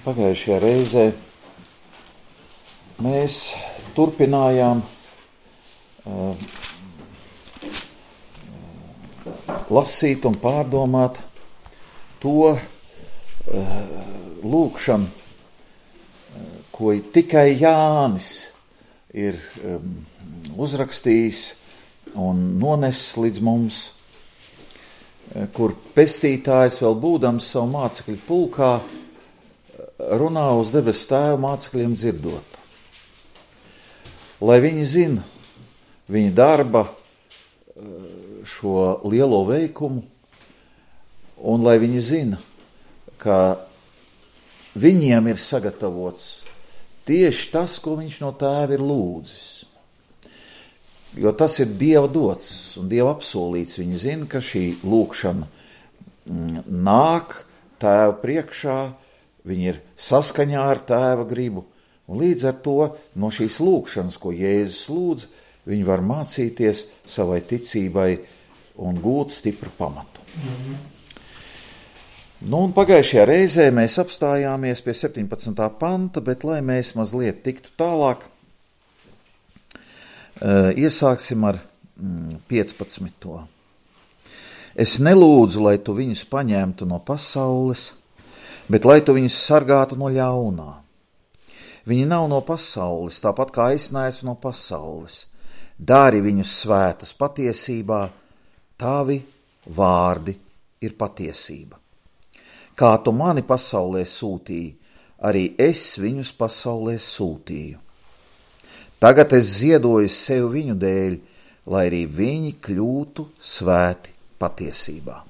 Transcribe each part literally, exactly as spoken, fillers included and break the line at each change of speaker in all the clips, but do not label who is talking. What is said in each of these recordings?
Pagājušajā reizē mēs turpinājām uh, lasīt un pārdomāt to uh, lūgšanu, uh, ko tikai Jānis ir um, uzrakstījis un nonesis līdz mums, uh, kur pestītājs vēl būdams savu mācekļu pulkā runā uz debesu Tēva mācekļiem dzirdot. Lai viņi zina viņa darba šo lielo veikumu, un lai viņi zina, ka viņiem ir sagatavots tieši tas, ko viņš no Tēva ir lūdzis. Jo tas ir Dieva dots un Dieva apsolīts. Viņi zina, ka šī lūgšana nāk Tēva priekšā, viņi ir saskaņā ar Tēva gribu, un līdz ar to no šīs lūgšanas, ko Jēzus lūdz, viņi var mācīties savai ticībai un gūt stipru pamatu. Mm-hmm. Nu, un pagājušajā reizē mēs apstājāmies pie septiņpadsmitā panta, bet lai mēs mazliet tiktu tālāk, iesāksim ar piecpadsmito. Es nelūdzu, lai tu viņus paņemtu no pasaules, bet lai tu viņus sargātu no ļaunā. Viņi nav no pasaules, tāpat kā es neesmu no pasaules. Dari viņus svētus patiesībā, tavi vārdi ir patiesība. Kā tu mani pasaulē sūtīji, arī es viņus pasaulē sūtīju. Tagad es ziedoju sev viņu dēļ, lai arī viņi kļūtu svēti patiesībā.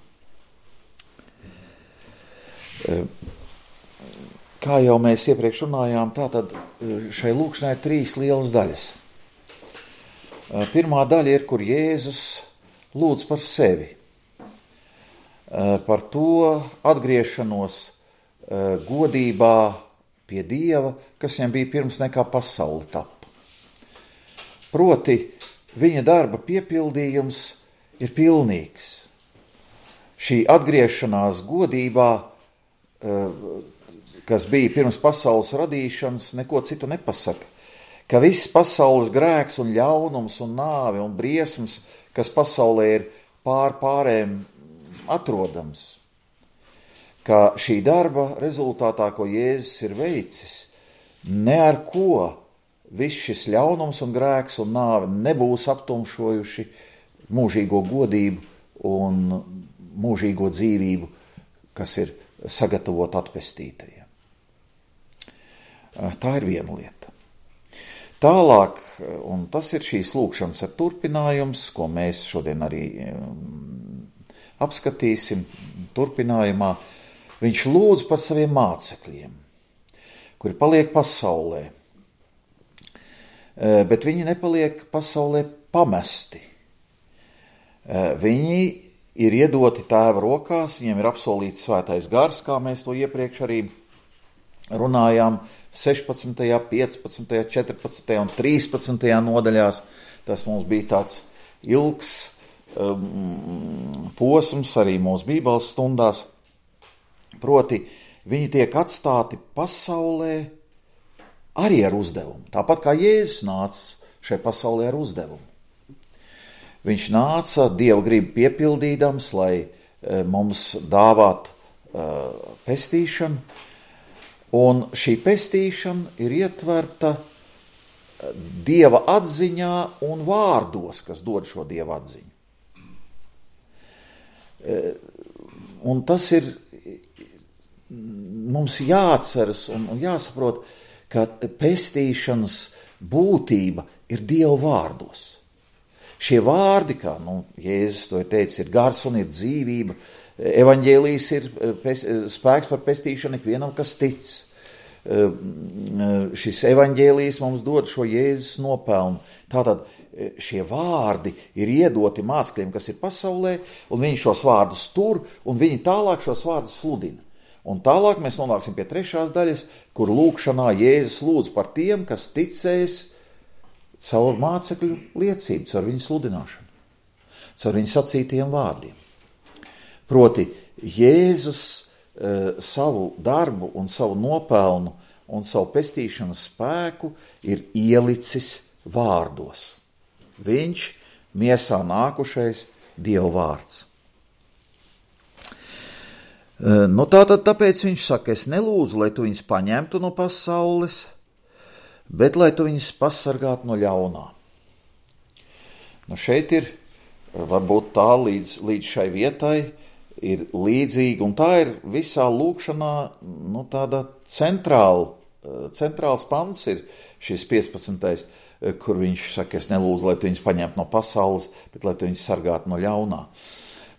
Kā jau mēs iepriekš runājām, tātad šai lūkšanai ir trīs lielas daļas. Pirmā daļa ir, kur Jēzus lūdz par sevi, par to atgriešanos godībā pie Dieva, kas viņam bija pirms nekā pasaule tapa. Proti, viņa darba piepildījums ir pilnīgs. Šī atgriešanās godībā, kas bija pirms pasaules radīšanas, neko citu nepasaka, ka viss pasaules grēks un ļaunums un nāve un briesmas, kas pasaulē ir pār pārēm atrodams, ka šī darba rezultātā, ko Jēzus ir veicis, ne ar ko viss šis ļaunums un grēks un nāve nebūs aptumšojuši mūžīgo godību un mūžīgo dzīvību, kas ir sagatavot atpestītajiem. Tā ir viena lieta. Tālāk, un tas ir šīs lūkšanas ar turpinājums, ko mēs šodien arī apskatīsim turpinājumā, viņš lūdz par saviem mācekļiem, kuri paliek pasaulē, bet viņi nepaliek pasaulē pamesti. Viņi ir iedoti Tēva rokās, viņiem ir apsolīts svētais gars, kā mēs to iepriekš arī runājām sešpadsmitajā, piecpadsmitajā, četrpadsmitajā un trīspadsmitajā nodaļās. Tas mums bija tāds ilgs um, posms arī mūsu bībeles stundās. Proti, viņi tiek atstāti pasaulē arī ar uzdevumu. Tāpat kā Jēzus nāca šai pasaulē ar uzdevumu. Viņš nāca Dieva gribu piepildīdams, lai e, mums dāvāt e, pestīšanu, un šī pestīšana ir ietverta Dieva atziņā un vārdos, kas dod šo Dieva atziņu. E, un tas ir mums jāatceras un, un jāsaprot, ka pestīšanas būtība ir Dieva vārdos. Šie vārdi, kā nu, Jēzus to ir teicis, ir gars un ir dzīvība. Evaņģēlijs ir pes, spēks par pestīšanu ikvienam, kas tic. Šis evaņģēlijs mums dod šo Jēzus nopelnu. Tātad šie vārdi ir iedoti mācekļiem, kas ir pasaulē, un viņi šos vārdus tur, un viņi tālāk šos vārdus sludina. Un tālāk mēs nonāksim pie trešās daļas, kur lūkšanā Jēzus lūdz par tiem, kas ticēs caur mācekļu liecību, caur viņu sludināšanu, caur viņu sacītiem vārdiem. Proti, Jēzus savu darbu un savu nopelnu un savu pestīšanas spēku ir ielicis vārdos. Viņš, miesā nākušais Dieva vārds. Nu tātad tāpēc viņš saka, es nelūdzu, lai tu viņus paņemtu no pasaules, bet lai tu viņus pasargātu no ļaunā. Nu šeit ir, varbūt tā līdz, līdz šai vietai ir līdzīga, un tā ir visā lūkšanā, nu tāda centrāla, centrāls pants ir šis piecpadsmitais, kur viņš saka, es nelūdzu, lai tu viņus paņemtu no pasaules, bet lai tu viņus sargātu no ļaunā.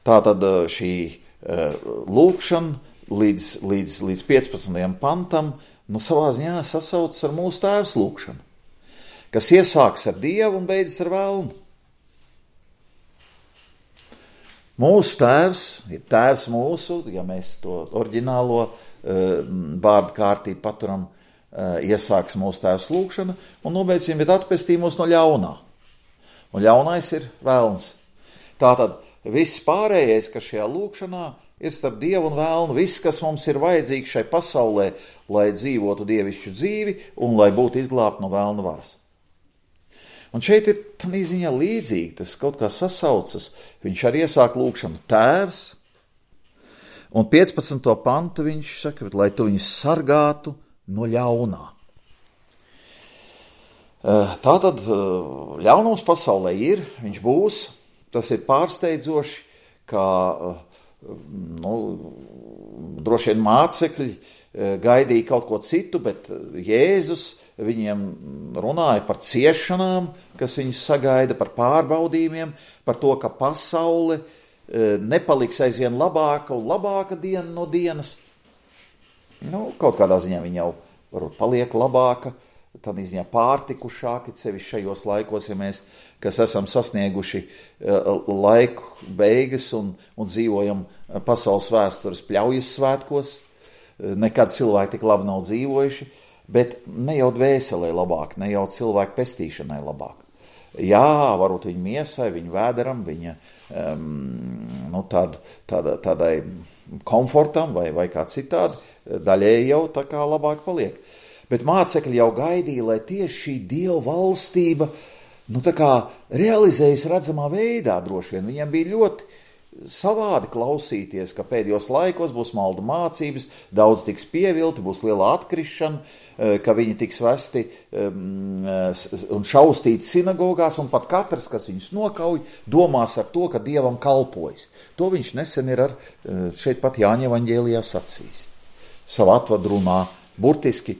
Tātad šī lūkšana līdz, līdz, līdz piecpadsmitajam pantam, nu savā ziņā sasaucas ar mūsu tēvs lūkšanu, kas iesāks ar Dievu un beidzas ar velnu. Mūsu tēvs ir tēvs mūsu, ja mēs to oriģinālo uh, vārdu kārtību paturam, uh, iesāks mūsu tēvs lūkšana un nobeigsim, bet atpestī mūs no ļaunā. Un ļaunais ir velns. Tātad viss pārējais, kas šajā lūkšanā ir starp Dievu un velnu, viss, kas mums ir vajadzīgs šai pasaulē, lai dzīvotu dievišķu dzīvi un lai būtu izglābti no velna varas. Un šeit ir tādā ziņā līdzīgi, tas kaut kā sasaucas, viņš arī iesāk lūkšanu tēvs, un piecpadsmito pantu viņš saka, lai tu viņus sargātu no ļaunā. Tātad ļaunums pasaulē ir, viņš būs, tas ir pārsteidzoši, kā nu, droši vien mācekļi gaidīja kaut ko citu, bet Jēzus viņiem runāja par ciešanām, kas viņus sagaida, par pārbaudījumiem, par to, ka pasaule nepaliks aizvien labāka un labāka diena no dienas. Nu, kaut kādā ziņā viņa jau varbūt paliek labāka, tādā ziņā pārtikušāki, sevišķi šajos laikos, ja mēs, kas esam sasnieguši laiku beigas un, un dzīvojam pasaules vēstures pļaujas svētkos, nekad cilvēki tik labi nav dzīvojuši, bet ne jau dvēselē labāk, ne jau cilvēku pestīšanai labāk. Jā, varbūt viņa miesai, viņa vēderam, viņa um, nu, tād, tāda, tādai komfortam vai, vai kā citādi, daļēji jau tā kā labāk paliek. Bet mācekļi jau gaidīja, lai tieši šī Dieva valstība nu, tā kā realizējas redzamā veidā droši vien. Viņiem bija ļoti savādi klausīties, ka pēdējos laikos būs maldu mācības, daudz tiks pievilti, būs liela atkrišana, ka viņi tiks vesti un šaustīti sinagogās, un pat katrs, kas viņus nokauj, domās ar to, ka Dievam kalpojas. To viņš nesen ir ar šeit pat Jāņa evaņģēlijā sacījis. Savu atvadu runā, burtiski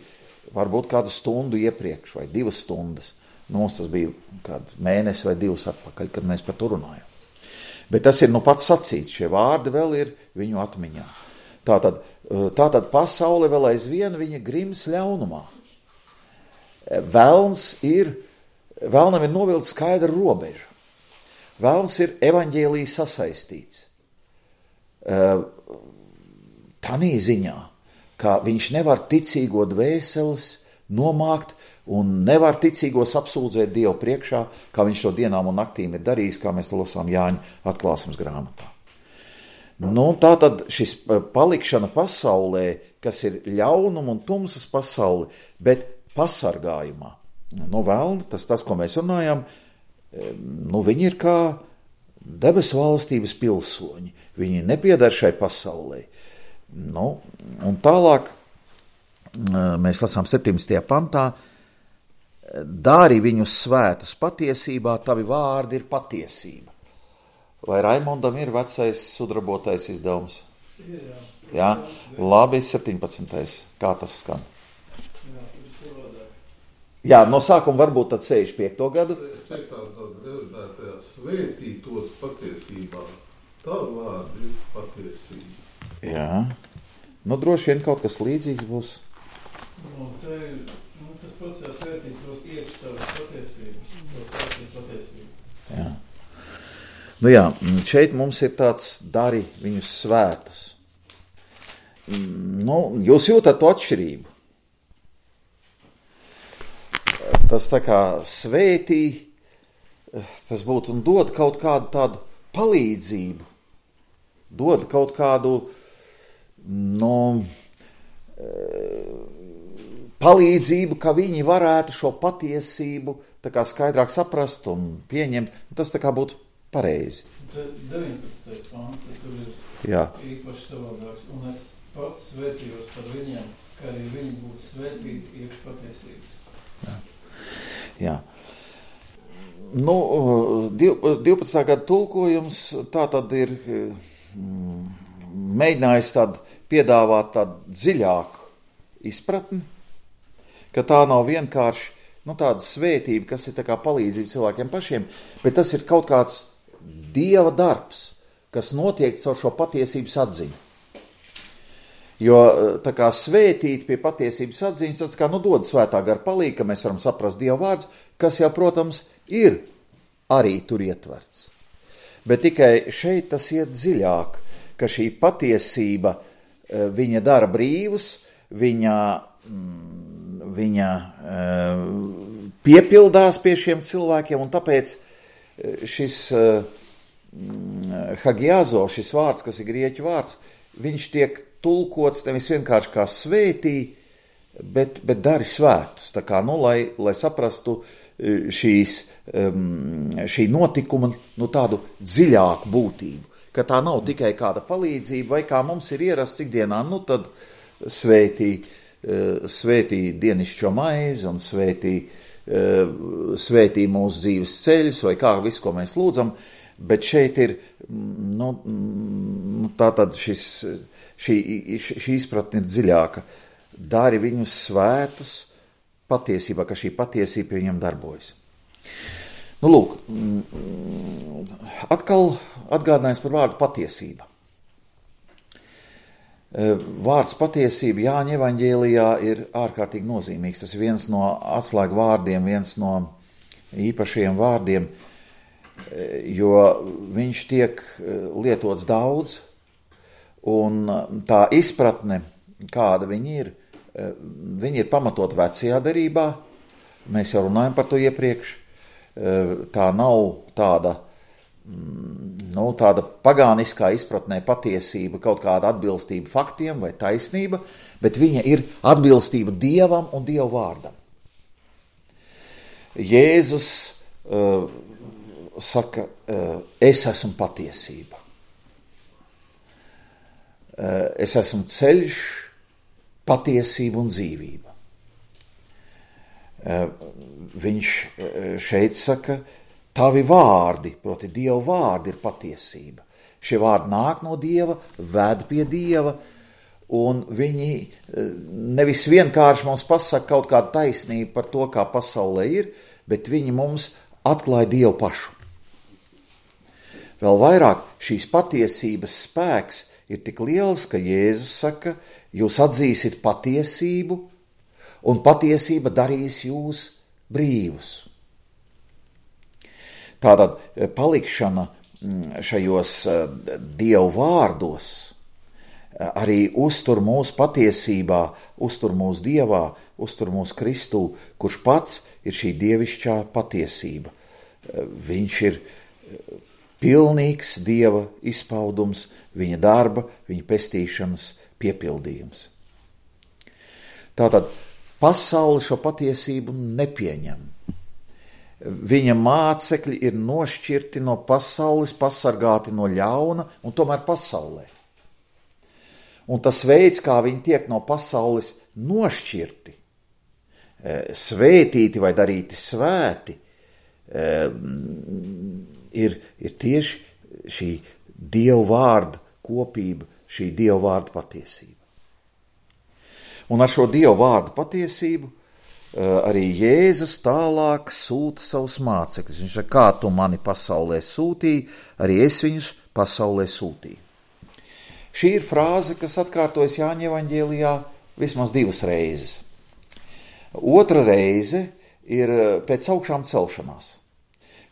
varbūt kādu stundu iepriekš vai divas stundas. Nu, mums tas bija kādu mēnesi vai divus atpakaļ, kad mēs par to runājam. Bet tas ir nu pats sacīts, šie vārdi vēl ir viņu atmiņā. Tātad, tātad pasaule vēl aizvien viņa grims ļaunumā. Velns ir, velnam ir novilkta skaidra robeža. Velns ir evaņģēlija sasaistīts. Tanī ziņā, ka viņš nevar ticīgo dvēseles nomākt un nevar ticīgos apsūdzēt Dievu priekšā, kā viņš to dienām un naktīm ir darījis, kā mēs to lasām Jāņa atklāsmes grāmatā. Nu, tā tad šis palikšana pasaulē, kas ir ļaunuma un tumsas pasaule, bet pasargājumā. Nu, velni, tas tas, ko mēs runājam, nu, viņi ir kā debesu valstības pilsoņi. Viņi nepiedar šai pasaulē. Nu, un tālāk mēs lasām septiņdesmitajā pantā, dari viņus svētus patiesībā, tavi vārdi ir patiesība. Vai Raimondam ir vecais sudrabotais izdevums? Jā. Jā? Labi, septiņpadsmitais. Kā tas skan?
Jā,
Jā, no sākuma varbūt tad sešdesmit piekto gadu.
Svētītos patiesībā. Tavi vārdi ir patiesība.
Jā. Nu, droši vien kaut kas līdzīgs būs.
Nu, te ir tas process svētīt tos iekš tavas patiesības, tos svētīt patiesību.
Jā. Nu jā, šeit mums ir tāds dari viņus svētus. Nu, jūs jūtat to atšķirību. Tas tā kā svētī, tas būtu un dod kaut kādu tādu palīdzību, dod kaut kādu, nu, palīdzību, ka viņi varētu šo patiesību tā kā skaidrāk saprast un pieņemt. Tas tā kā būtu pareizi.
deviņpadsmitais pāns, tad tur ir
Jā.
īpaši savādāks. Un es pats svētījos par viņiem, ka arī viņi būtu svētīti iekš patiesības.
Jā. Jā. Nu, divpadsmitā gada tulkojums tā tad ir mm, mēģinājis tādu piedāvāt tādu dziļāku izpratni, ka tā nav vienkārši nu, tāda svētība, kas ir tā kā palīdzība cilvēkiem pašiem, bet tas ir kaut kāds Dieva darbs, kas notiek caur šo patiesības atziņu. Jo tā kā svētīt pie patiesības atziņas, tas kā nu dod svētā gara palīga, ka mēs varam saprast Dieva vārdus, kas jau, protams, ir arī tur ietverts. Bet tikai šeit tas iet dziļāk, ka šī patiesība viņa dara brīvus, viņa, viņa piepildās pie šiem cilvēkiem, un tāpēc šis hagiazo, šis vārds, kas ir grieķu vārds, viņš tiek tulkots nevis vienkārši kā svētī, bet, bet dari svētus. Tā kā, nu, lai, lai saprastu šīs, šī notikuma nu, tādu dziļāku būtību, ka tā nav tikai kāda palīdzība, vai kā mums ir ierasts ikdienā, nu tad svētī, svētī dienišķo maizi un svētī, svētī mūsu dzīves ceļus, vai kā visu, ko mēs lūdzam, bet šeit ir, nu, tātad šis, šī, šī izpratne ir dziļāka. Dari viņus svētus patiesībā, ka šī patiesība pie viņam darbojas. Nu, lūk, atkal atgādinājums par vārdu patiesība. Vārds patiesība Jāņa evaņģēlijā ir ārkārtīgi nozīmīgs. Tas ir viens no atslēgu vārdiem, viens no īpašiem vārdiem, jo viņš tiek lietots daudz, un tā izpratne, kāda viņi ir, viņi ir pamatot vecajā derībā, mēs jau runājam par to iepriekš, tā nav tāda, nu, tāda pagāniskā izpratnē patiesība, kaut kāda atbilstība faktiem vai taisnība, bet viņa ir atbilstība Dievam un Dieva vārdam. Jēzus uh, saka, uh, es esmu patiesība. Uh, es esmu ceļš, patiesība un dzīvība. Uh, viņš šeit saka, tavi vārdi, proti Dieva vārdi ir patiesība. Šie vārdi nāk no Dieva, ved pie Dieva, un viņi nevis vienkārši mums pasaka kaut kādu taisnību par to, kā pasaulē ir, bet viņi mums atklāja Dievu pašu. Vēl vairāk šīs patiesības spēks ir tik liels, ka Jēzus saka, jūs atzīsiet patiesību, un patiesība darīs jūs brīvus. Tātad palikšana šajos Dievu vārdos arī uztur mūsu patiesībā, uztur mūsu Dievā, uztur mūsu Kristū, kurš pats ir šī dievišķā patiesība. Viņš ir pilnīgs Dieva izpaudums, viņa darba, viņa pestīšanas piepildījums. Tātad pasaule šo patiesību nepieņem. Viņa mācekļi ir nošķirti no pasaules, pasargāti no ļauna un tomēr pasaulē. Un tas veids, kā viņi tiek no pasaules nošķirti, svētīti vai darīti svēti, ir, ir tieši šī Dieva vārda kopība, šī Dieva vārda patiesība. Un ar šo Dieva vārdu patiesību arī Jēzus tālāk sūta savus mācekļus. Viņš saka, kā tu mani pasaulē sūtīji, arī es viņus pasaulē sūtīju. Šī ir frāze, kas atkārtojas Jāņa evaņģēlijā vismaz divas reizes. Otra reize ir pēc augšām celšanās,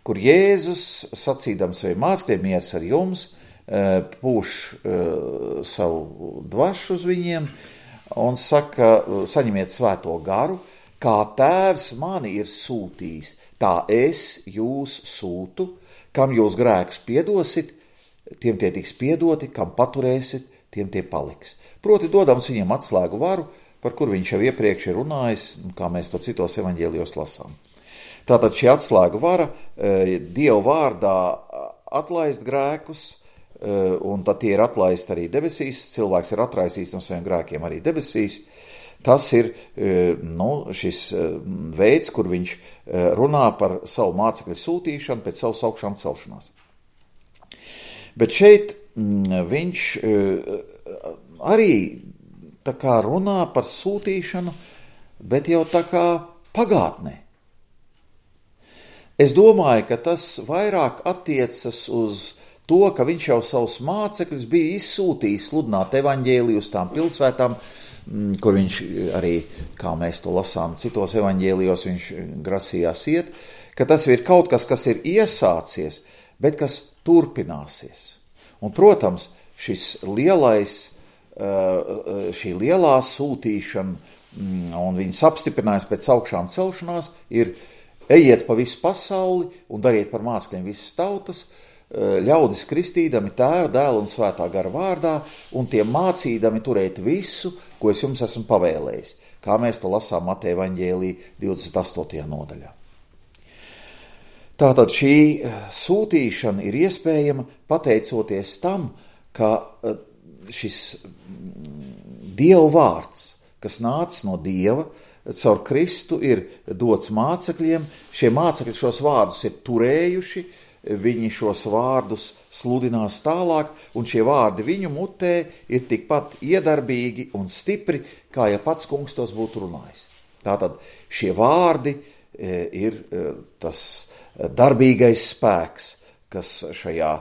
kur Jēzus, sacīdams saviem mācekļiem, miers ar jums, pūš savu dvašu uz viņiem un saka, saņemiet svēto garu, kā tēvs mani ir sūtījis, tā es jūs sūtu, kam jūs grēkus piedosit, tiem tie tiks piedoti, kam paturēsit, tiem tie paliks. Proti dodams viņiem atslēgu varu, par kur viņš jau iepriekš ir runājis, kā mēs to citos evaņģēlijos lasām. Tātad šī atslēgu vara Dieva vārdā atlaist grēkus, un tad tie ir atlaisti arī debesīs, cilvēks ir atraisīts no saviem grēkiem arī debesīs. Tas ir nu, šis veids, kur viņš runā par savu mācekļu sūtīšanu pēc savas augšām celšanās. Bet šeit viņš arī tā kā runā par sūtīšanu, bet jau tā kā pagātnē. Es domāju, ka tas vairāk attiecas uz to, ka viņš jau savus mācekļus bija izsūtījis sludināt evaņģēliju uz tām pilsētām, kur viņš arī, kā mēs to lasām citos evaņģēlijos, viņš grasījās iet, ka tas ir kaut kas, kas ir iesācies, bet kas turpināsies. Un, protams, šis lielais, šī lielā sūtīšana un viņas apstiprinājums pēc augšām celšanās ir ejiet pa visu pasauli un dariet par mācekļiem visas tautas, ļaudis kristīdami Tēva, Dēla un Svētā gara vārdā un tiem mācīdami turēt visu, ko es jums esmu pavēlējis, kā mēs to lasām Mateja evaņģēlī divdesmit astotajā nodaļā. Tātad šī sūtīšana ir iespējama pateicoties tam, ka šis Dieva vārds, kas nāca no Dieva, caur Kristu ir dots mācekļiem, šie mācekļi šos vārdus ir turējuši, viņi šos vārdus sludinās tālāk, un šie vārdi viņu mutē ir tikpat iedarbīgi un stipri, kā ja pats kungs tos būtu runājis. Tātad šie vārdi ir tas darbīgais spēks, kas šajā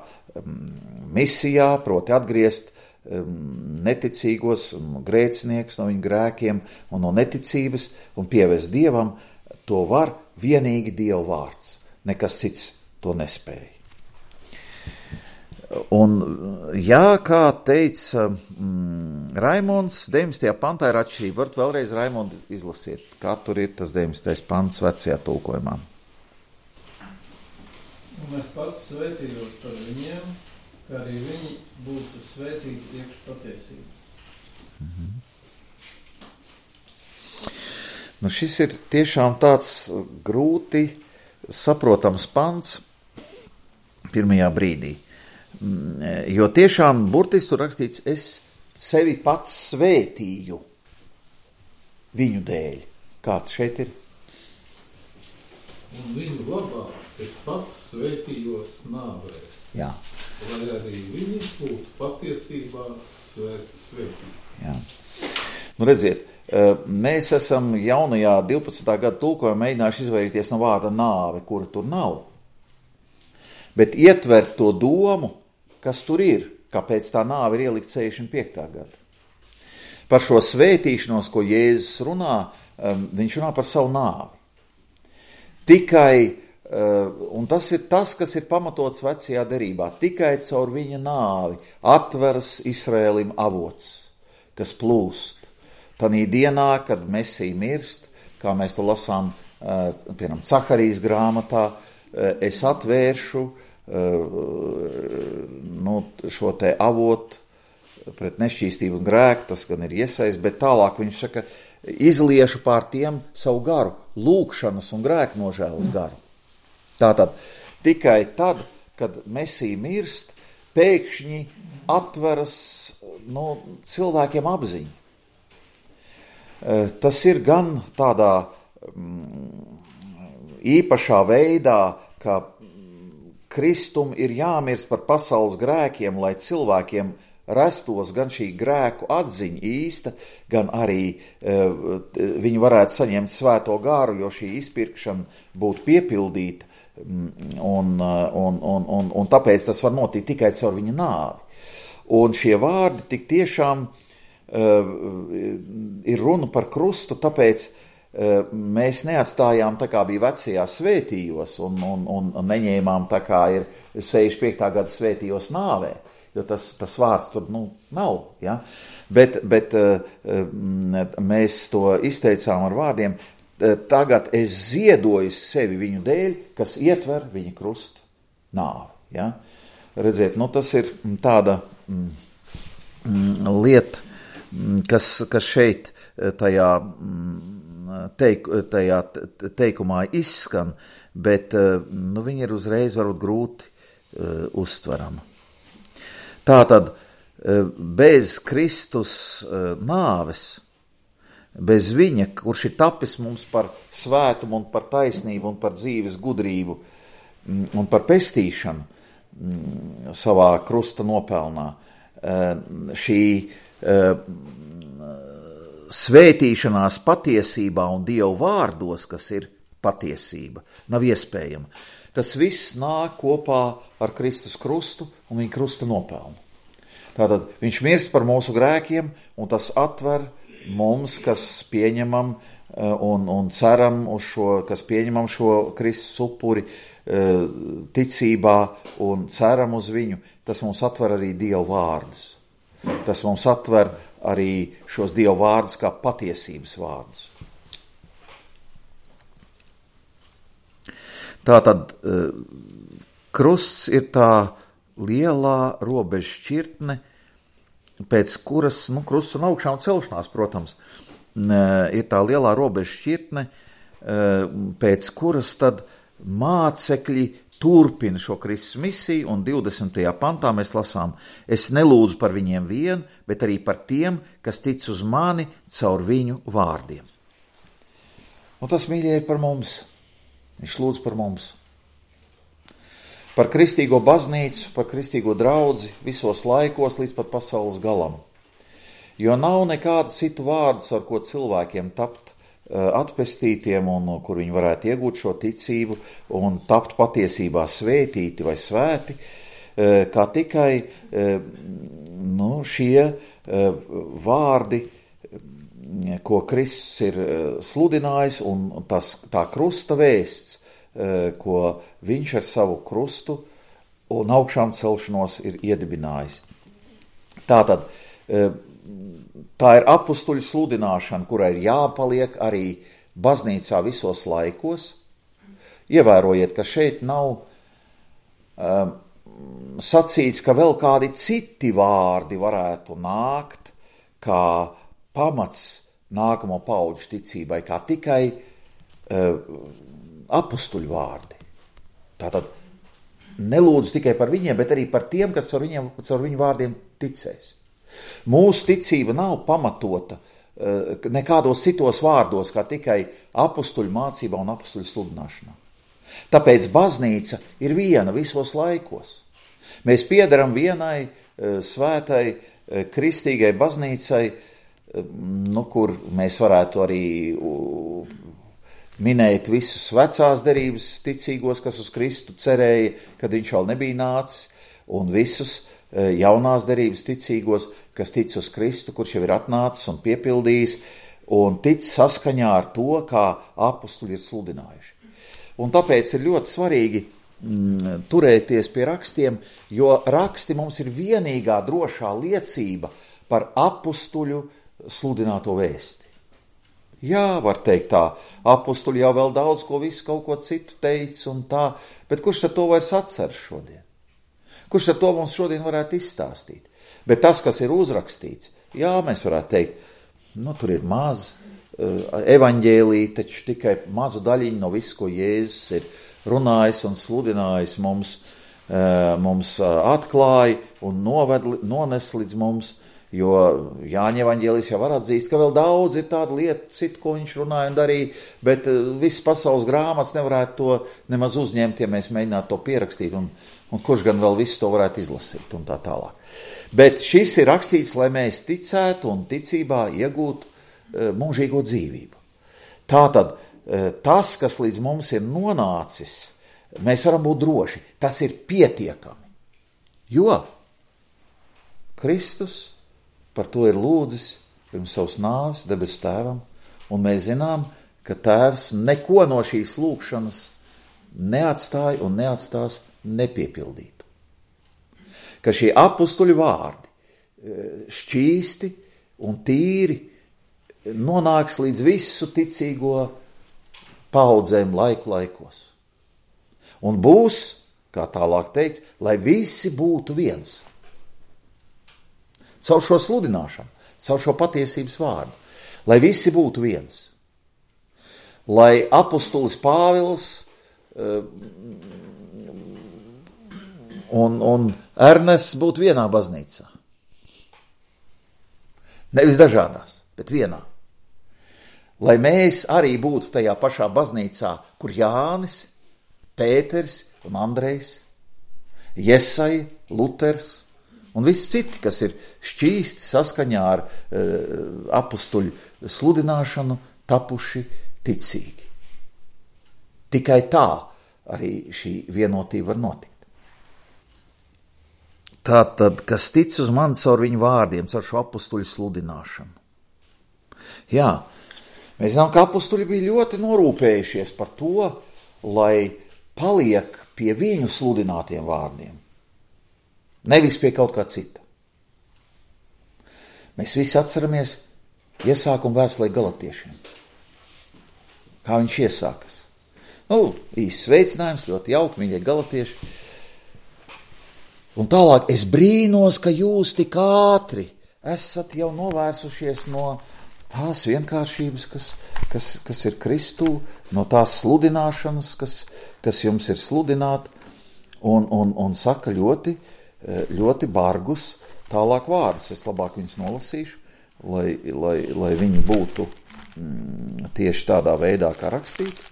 misijā, proti atgriezt neticīgos un grēciniekus no viņu grēkiem un no neticības un pievest Dievam, to var vienīgi Dieva vārds. Nekas cits to nespēja. Un, jā, kā teica mm, Raimonds, deviņdesmitajā pantā ir atšķirība. Varat vēlreiz, Raimond, izlasiet, kā tur ir tas deviņdesmitais pants vecajā tulkojumā.
Un es pats svētījos par viņiem, kā arī viņi būtu svētīti iekš patiesības.
Mhm. Nu, šis ir tiešām tāds grūti saprotams pants pirmajā brīdī. Jo tiešām burtiski tur rakstīts, es sevi pats svētīju viņu dēļ. Kā šeit ir?
Un viņu labā es pats svētījos nāvē.
Jā.
Lai arī viņi būtu patiesībā svētīti.
Jā. Nu, redziet, mēs esam jaunajā divpadsmitā gada tulkojumā mēģinājuši izvairīties no vārda nāve, kura tur nav. Bet ietvert to domu, kas tur ir, kāpēc tā nāve ir ielikt sešdesmit piektā gada. Par šo svētīšanos, ko Jēzus runā, viņš runā par savu nāvi. Tikai, un tas ir tas, kas ir pamatots vecajā derībā, tikai caur viņa nāvi atveras Izraēlim avots, kas plūst. Tanī dienā, kad Mesija mirst, kā mēs to lasām, piemēram, Caharijas grāmatā, es atvēršu nu, šo te avotu pret nešķīstību un grēku, tas gan ir iesaist, bet tālāk viņš saka, izliešu pār tiem savu garu, lūgšanas un grēku nožēlas garu. Tātad tikai tad, kad Mesija mirst, pēkšņi atveras no cilvēkiem apziņu. Tas ir gan tādā mm, īpašā veidā, ka Kristum ir jāmirst par pasaules grēkiem, lai cilvēkiem rastos gan šī grēku atziņa īsta, gan arī uh, viņi varētu saņemt svēto garu, jo šī izpirkšana būtu piepildīta, un, un, un, un, un tāpēc tas var notikt tikai caur viņa nāvi. Un šie vārdi tik tiešām uh, ir runa par krustu, tāpēc uh, mēs neatstājām tā kā bija vecajā svētījos un, un, un neņēmām tā kā ir sešdesmit piektā gada svētījos nāvē. Jo tas, tas vārds tur nu, nav. Ja? Bet, bet mēs to izteicām ar vārdiem, tagad es ziedoju sevi viņu dēļ, kas ietver viņa krusta nāvi. Ja? Redziet, nu, tas ir tāda lieta, kas, kas šeit tajā, teik, tajā teikumā izskan, bet nu, viņi ir uzreiz varbūt grūti uh, uztverama. Tātad bez Kristus uh, nāves, bez viņa, kurš ir tapis mums par svētumu un par taisnību un par dzīves gudrību un par pestīšanu mm, savā krusta nopelnā, uh, šī uh, svētīšanās patiesībā un Dievu vārdos, kas ir patiesība, nav iespējama. Tas viss nāk kopā ar Kristus krustu un viņa krusta nopelnu. Tātad viņš mirst par mūsu grēkiem, un tas atver mums, kas pieņemam un, un ceram uz šo, kas pieņemam šo Kristus upuri ticībā un ceram uz viņu, tas mums atver arī Dievu vārdus. Tas mums atver arī šos Dievu vārdus kā patiesības vārdus. Tātad krusts ir tā lielā robeža šķirtne, pēc kuras, nu, krusts un augšā un celšanās, protams, ir tā lielā robeža šķirtne, pēc kuras tad mācekļi turpina šo Kristus misiju, un divdesmitajā pantā mēs lasām: es nelūdzu par viņiem vien, bet arī par tiem, kas tic uz mani caur viņu vārdiem. Un tas, mīļie, ir par mums. Viņš lūdz par mums. Par kristīgo baznīcu, par kristīgo draudzi visos laikos līdz pat pasaules galam. Jo nav nekādu citu vārdus, ar ko cilvēkiem tapt atpestītiem un kur viņi varētu iegūt šo ticību un tapt patiesībā svētīti vai svēti, kā tikai nu, šie vārdi, ko Kristus ir sludinājis, un tas, tā krusta vēsts, ko viņš ar savu krustu un augšām celšanos ir iedibinājis. Tātad, tā ir apustuļu sludināšana, kurai ir jāpaliek arī baznīcā visos laikos. Ievērojiet, ka šeit nav um, sacīts, ka vēl kādi citi vārdi varētu nākt, kā pamats nākamo paudžu ticībai, kā tikai uh, apustuļu vārdi. Tātad nelūdzu tikai par viņiem, bet arī par tiem, kas ar, viņiem, ar viņu vārdiem ticēs. Mūsu ticība nav pamatota uh, nekādos citos vārdos, kā tikai apustuļu mācībā un apustuļu sludināšanā. Tāpēc baznīca ir viena visos laikos. Mēs piederam vienai uh, svētai uh, kristīgai baznīcai, nu, kur mēs varētu arī minēt visus vecās derības ticīgos, kas uz Kristu cerēja, kad viņš vēl nebija nācis, un visus jaunās derības ticīgos, kas tic uz Kristu, kurš jau ir atnācis un piepildījis, un tic saskaņā ar to, kā apustuļi ir sludinājuši. Un tāpēc ir ļoti svarīgi mm, turēties pie rakstiem, jo raksti mums ir vienīgā drošā liecība par apustuļu sludināto vēsti. Jā, var teikt tā, apustuļi jau vēl daudz ko visu kaut ko citu teica un tā, bet kurš ar to vairs atceras šodien? Kurš ar to mums šodien varētu izstāstīt? Bet tas, kas ir uzrakstīts, jā, mēs varētu teikt, nu, tur ir maz evaņģēlī, taču tikai mazu daļiņu no visu, ko Jēzus ir runājis un sludinājis mums, mums atklāja un noved, nones līdz mums. Jo Jāņa evaņģēlijs jau var atzīst, ka vēl daudz ir tādu lietu, citu, ko viņš runāja un darīja, bet viss pasaules grāmatas nevarētu to nemaz uzņemt, ja mēs mēģinātu to pierakstīt, un, un kurš gan vēl visu to varētu izlasīt un tā tālāk. Bet šis ir rakstīts, lai mēs ticētu un ticībā iegūtu e, mūžīgo dzīvību. Tātad e, tas, kas līdz mums ir nonācis, mēs varam būt droši, tas ir pietiekami, jo Kristus par to ir lūdzis pirms savas nāves debesu tēvam, un mēs zinām, ka tēvs neko no šīs lūgšanas neatstāja un neatstās nepiepildītu. Ka šie apustuļu vārdi šķīsti un tīri nonāks līdz visu ticīgo paudzēm laiku laikos. Un būs, kā tālāk teikts, lai visi būtu viens. caur šo sludināšanu, caur šo patiesības vārdu, lai visi būtu viens. Lai apustulis Pāvils uh, un, un Ernests būtu vienā baznīcā. Nevis dažādās, bet vienā. Lai mēs arī būtu tajā pašā baznīcā, kur Jānis, Pēters un Andrejs, Jesaja, Luters un visi citi, kas ir šķīsti saskaņā ar uh, apustuļu sludināšanu, tapuši ticīgi. Tikai tā arī šī vienotība var notikt. Tātad, kas tic uz mani caur viņu vārdiem, caur šo apustuļu sludināšanu. Jā, mēs zinām, ka apustuļi bija ļoti norūpējušies par to, lai paliek pie viņu sludinātiem vārdiem, nevis pie kaut kā cita. Mēs visi atceramies iesākumu vēstulē Galatiešiem. Kā viņš iesākas? Nu, īsts sveicinājums, ļoti jauki, mīļie galatieši. Un tālāk, es brīnos, ka jūs tik ātri esat jau novērsušies no tās vienkāršības, kas, kas, kas ir Kristū, no tās sludināšanas, kas, kas jums ir sludināt, un, un, un saka ļoti, ļoti bargus tālāk vārdus. Es labāk viņus nolasīšu, lai, lai, lai viņi būtu mm, tieši tādā veidā, kā rakstīti.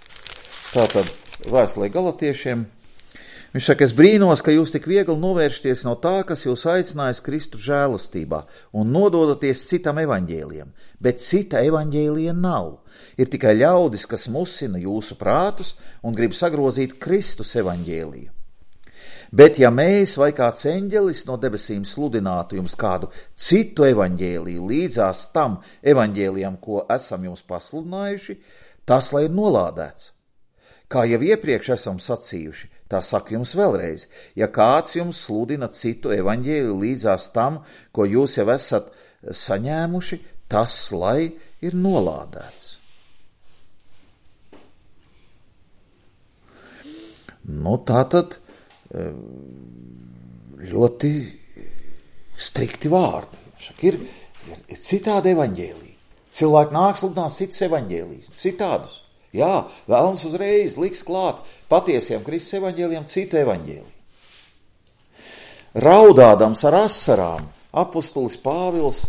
Tātad vēstulē Galatiešiem. Viņš saka, es brīnos, ka jūs tik viegli novēršties no tā, kas jūs aicinājis Kristu žēlastībā un nododaties citam evaņģēlijam, bet cita evaņģēlija nav. Ir tikai ļaudis, kas musina jūsu prātus un grib sagrozīt Kristus evaņģēliju. Bet ja mēs vai kāds eņģelis no debesīm sludinātu jums kādu citu evaņģēliju līdzās tam evaņģēlijam, ko esam jums pasludinājuši, tas lai ir nolādēts. Kā jau iepriekš esam sacījuši, tā saku jums vēlreiz, ja kāds jums sludina citu evaņģēliju līdzās tam, ko jūs jau esat saņēmuši, tas lai ir nolādēts. Nu, tātad ļoti strikti vārdi. Šak ir, ir, ir citādi evaņģēliji. Cilvēki nāk sludināt citas evaņģēlijas, citādus. Jā, vēlams uzreiz liks klāt patiesiem Kristus evaņģēlijiem citu evaņģēliju. Raudādams ar asarām, apustulis Pāvils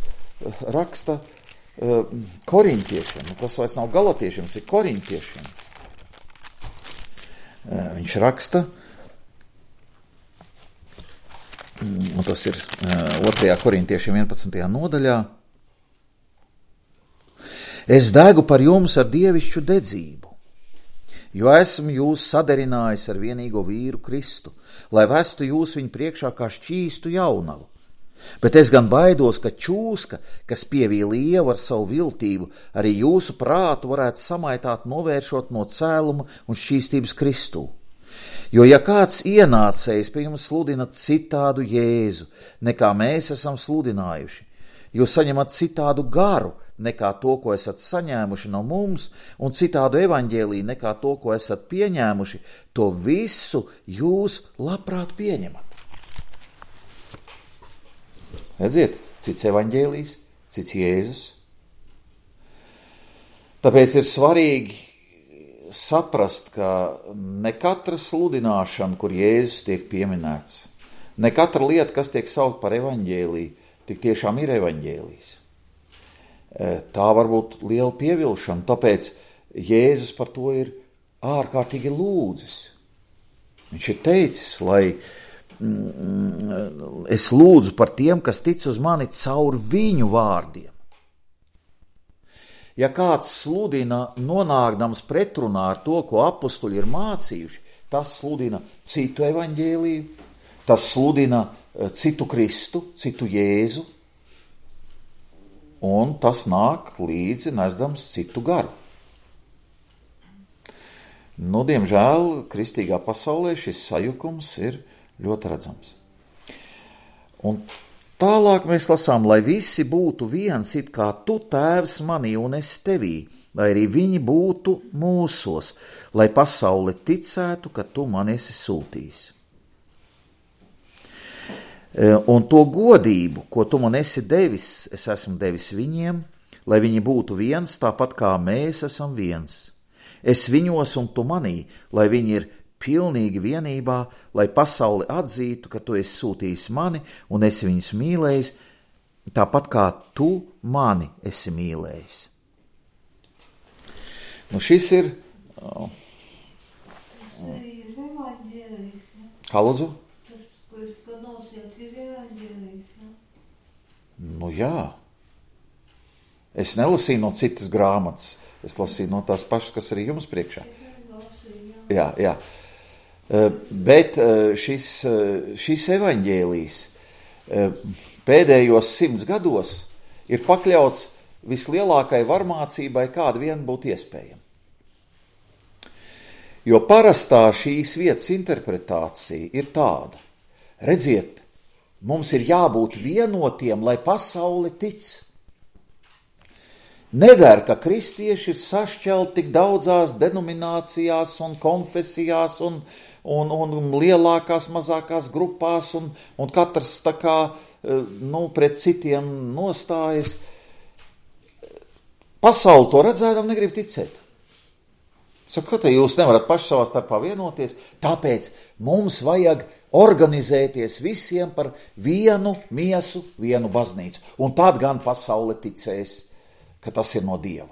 raksta uh, korintiešiem, tas vairs nav galatiešiem, tas ir korintiešiem. Uh, viņš raksta, un tas ir uh, otrajā korintiešiem vienpadsmitajā nodaļā, es degu par jums ar dievišķu dedzību, jo esmu jūs saderinājis ar vienīgo vīru Kristu, lai vestu jūs viņu priekšā kā šķīstu jaunavu. Bet es gan baidos, ka čūska, kas pievīla ievu ar savu viltību, arī jūsu prātu varētu samaitāt novēršot no cēluma un šķīstības Kristū. Jo ja kāds ienācējs pie jums sludina citādu Jēzu, nekā mēs esam sludinājuši, jūs saņemat citādu garu, nekā to, ko esat saņēmuši no mums, un citādu evaņģēliju nekā to, ko esat pieņēmuši, to visu jūs labprāt pieņemat. Redziet, cits evaņģēlijs, cits Jēzus. Tāpēc ir svarīgi saprast, ka ne katra sludināšana, kur Jēzus tiek pieminēts, ne katra lieta, kas tiek saukt par evaņģēliju, tik tiešām ir evaņģēlijs. Tā var būt liela pievilšana, tāpēc Jēzus par to ir ārkārtīgi lūdzis. Viņš ir teicis, lai mm, es lūdzu par tiem, kas tic uz mani caur viņu vārdiem. Ja kāds sludina nonākdams pretrunā ar to, ko apustuļi ir mācījuši, tas sludina citu evaņģēliju, tas sludina citu Kristu, citu Jēzu, un tas nāk līdzi nesdams citu garu. Nu, diemžēl, kristīgā pasaulē šis sajukums ir ļoti redzams. Un tālāk mēs lasām, lai visi būtu viens, it kā tu, Tēvs, manī un es tevī, lai arī viņi būtu mūsos, lai pasaule ticētu, ka tu man esi sūtījis. Un to godību, ko tu man esi devis, es esmu devis viņiem, lai viņi būtu viens, tāpat kā mēs esam viens. Es viņos un tu manī, lai viņi ir pilnīgi vienībā, lai pasauli atzītu, ka tu esi sūtījis mani un esi viņus mīlējis, tāpat kā tu mani esi mīlējis. Nu šis ir... Oh.
Tas ir evaņģēlijs, ja?
Kā lūdzu?
Tas, ko es panosījāt, ir evaņģēlijs, ja?
Nu jā. Es nelasīju no citas grāmatas. Es lasīju no tās pašas, kas arī jums priekšā. Jā, jā. Bet šis, šis evaņģēlijs pēdējos simts gados ir pakļauts vislielākai varmācībai, kāda vien būtu iespējama. Jo parastā šīs vietas interpretācija ir tāda. Redziet, mums ir jābūt vienotiem, lai pasauli tic. Neder, ka kristieši ir sašķelti tik daudzās denominācijās un konfesijās un, un, un lielākās, mazākās grupās un, un katrs tā kā, nu, pret citiem nostājas. Pasauli to redzēdam negrib ticēt. Saka, ka jūs nevarat paši savā starpā vienoties, tāpēc mums vajag organizēties visiem par vienu miesu, vienu baznīcu. Un tad gan pasaule ticēs, ka tas ir no Dieva.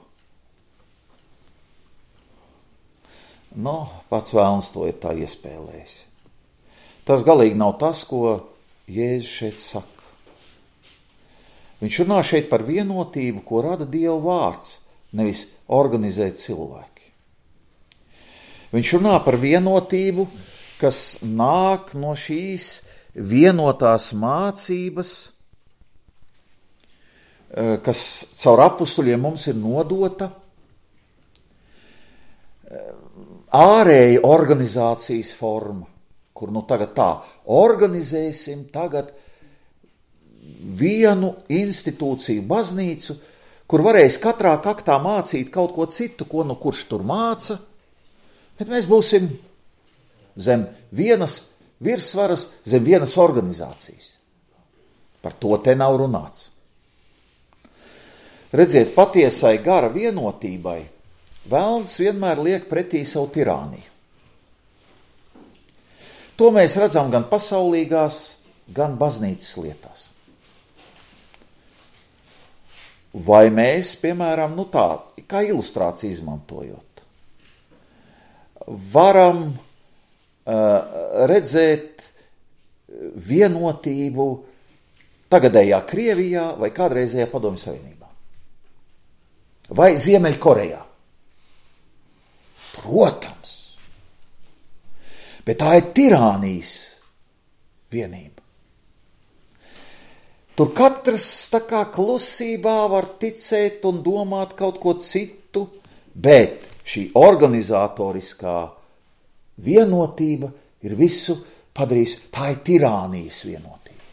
Nu, pats vēlns to ir tā iespēlējis. Tas galīgi nav tas, ko Jēzus šeit saka. Viņš runā šeit par vienotību, ko rada Dieva vārds, nevis organizē cilvēki. Viņš runā par vienotību, kas nāk no šīs vienotās mācības, kas caur apustuļiem mums ir nodota, ārēja organizācijas forma, kur nu tagad tā, organizēsim tagad vienu institūciju baznīcu, kur varēs katrā kaktā mācīt kaut ko citu, ko nu kurš tur māca, bet mēs būsim zem vienas virsvaras, zem vienas organizācijas. Par to te nav runāts. Redziet, patiesai gara vienotībai velns vienmēr liek pretī savu tirāniju. To mēs redzam gan pasaulīgās, gan baznīcas lietās. Vai mēs, piemēram, nu tā, kā ilustrāciju izmantojot, varam uh, redzēt vienotību tagadējā Krievijā vai kādreizējā Padomju Savienībā? Vai Ziemeļkorejā? Protams. Bet tā ir tirānijas vienība. Tur katrs tā kā klusībā var ticēt un domāt kaut ko citu, bet šī organizatoriskā vienotība ir visu padarījusi, tā ir tirānijas vienotība.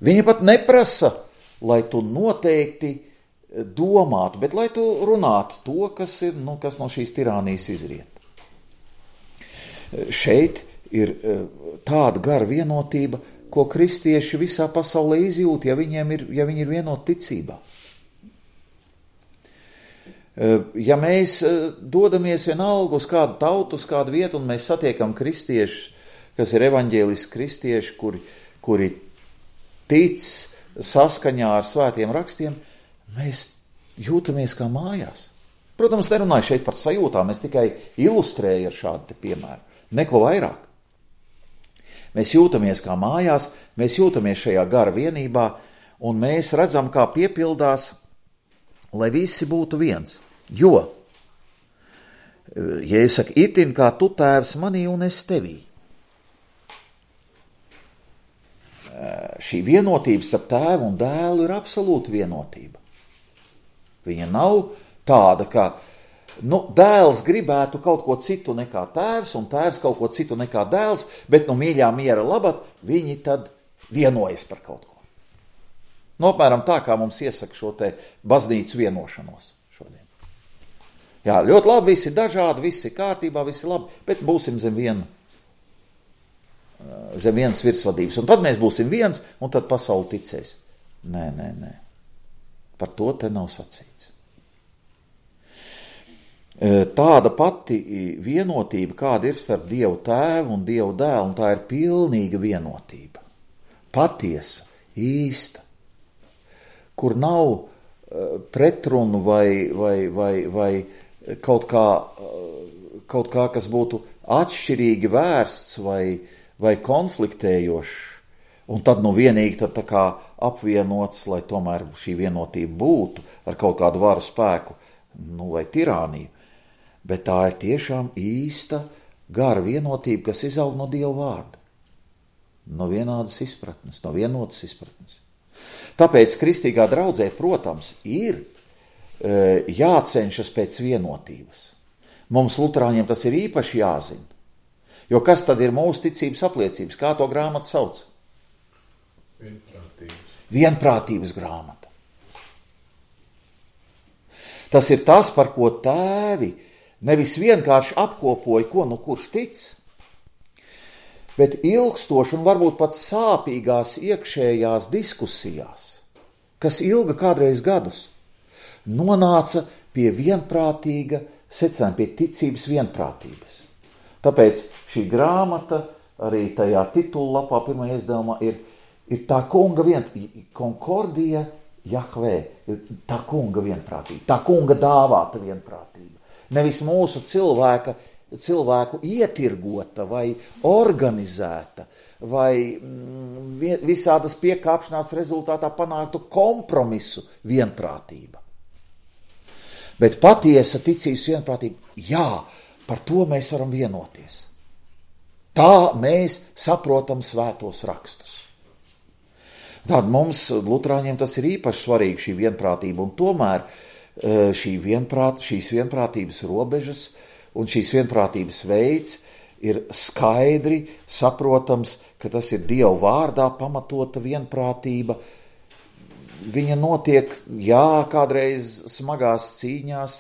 Viņa pat neprasa, lai tu noteikti domātu, bet lai tu runātu to, kas, ir, nu, kas no šīs tirānijas izriet. Šeit ir tāda gara vienotība, ko kristieši visā pasaulē izjūt, ja viņiem ir, ja viņi ir vienoti ticībā. Ja mēs dodamies vienalga uz kādu tautu, uz kādu vietu, un mēs satiekam kristiešus, kas ir evaņģēliski kristieši, kuri, kuri tic saskaņā ar svētiem rakstiem, mēs jūtamies kā mājās. Protams, nerunāju šeit par sajūtām, es tikai ilustrēju ar šādu te piemēru, neko vairāk. Mēs jūtamies kā mājās, mēs jūtamies šajā gara vienībā, un mēs redzam, kā piepildās, lai visi būtu viens. Jo, ja es saku, itin kā tu tēvs manī un es tevī. Šī vienotība starp tēvu un dēlu ir absolūta vienotība. Viņa nav tāda, ka nu, dēls gribētu kaut ko citu nekā tēvs, un tēvs kaut ko citu nekā dēls, bet no mīļā miera labad viņi tad vienojas par kaut ko. Nu, apmēram tā, kā mums iesaka šo te baznīcu vienošanos šodien. Jā, ļoti labi, visi dažādi, visi kārtībā, visi labi, bet būsim zem viena zem vienas virsvadības. Un tad mēs būsim viens, un tad pasauli ticēs. Nē, nē, nē. Par to te nav sacīts. Tāda pati vienotība, kāda ir starp Dievu tēvu un Dievu dēlu, un tā ir pilnīga vienotība. Patiesa, īsta, kur nav pretrunu vai, vai, vai, vai kaut kā, kaut kā, kas būtu atšķirīgi vērsts vai, vai konfliktējošs, un tad nu vienīgi tad tā kā apvienots, lai tomēr šī vienotība būtu ar kaut kādu varu spēku, nu vai tirāniju. Bet tā ir tiešām īsta gara vienotība, kas izaug no Dieva vārda. No vienādas izpratnes, no vienotas izpratnes. Tāpēc kristīgā draudzē, protams, ir e, jācenšas pēc vienotības. Mums luterāņiem tas ir īpaši jāzina. Jo kas tad ir mūsu ticības apliecības? Kā to grāmatu sauc?
Vienprātības.
Vienprātības grāmata. Tas ir tas, par ko tēvi nevis vienkārši apkopoja, ko nu kurš tic, bet ilgstoši un varbūt pat sāpīgās iekšējās diskusijās, kas ilga kādreiz gadus, nonāca pie vienprātīga secinājuma, pie ticības vienprātības. Tāpēc šī grāmata arī tajā titullapā pirmajā izdevumā ir, ir tā kunga vienprātība, Konkordija Jahvē, tā kunga vienprātība, tā kunga dāvāta vienprātība. Nevis mūsu cilvēka, cilvēku ietirgota vai organizēta vai mm, visādas piekāpšanās rezultātā panāktu kompromisu vienprātība. Bet patiesa ticības vienprātība, jā, par to mēs varam vienoties. Tā mēs saprotam svētos rakstus. Tātad mums, luterāņiem, tas ir īpaši svarīgi šī vienprātība, un tomēr šī vienprāt, šīs vienprātības robežas un šīs vienprātības veids ir skaidri saprotams, ka tas ir Dieva vārdā pamatota vienprātība. Viņa notiek, jā, kādreiz smagās cīņās,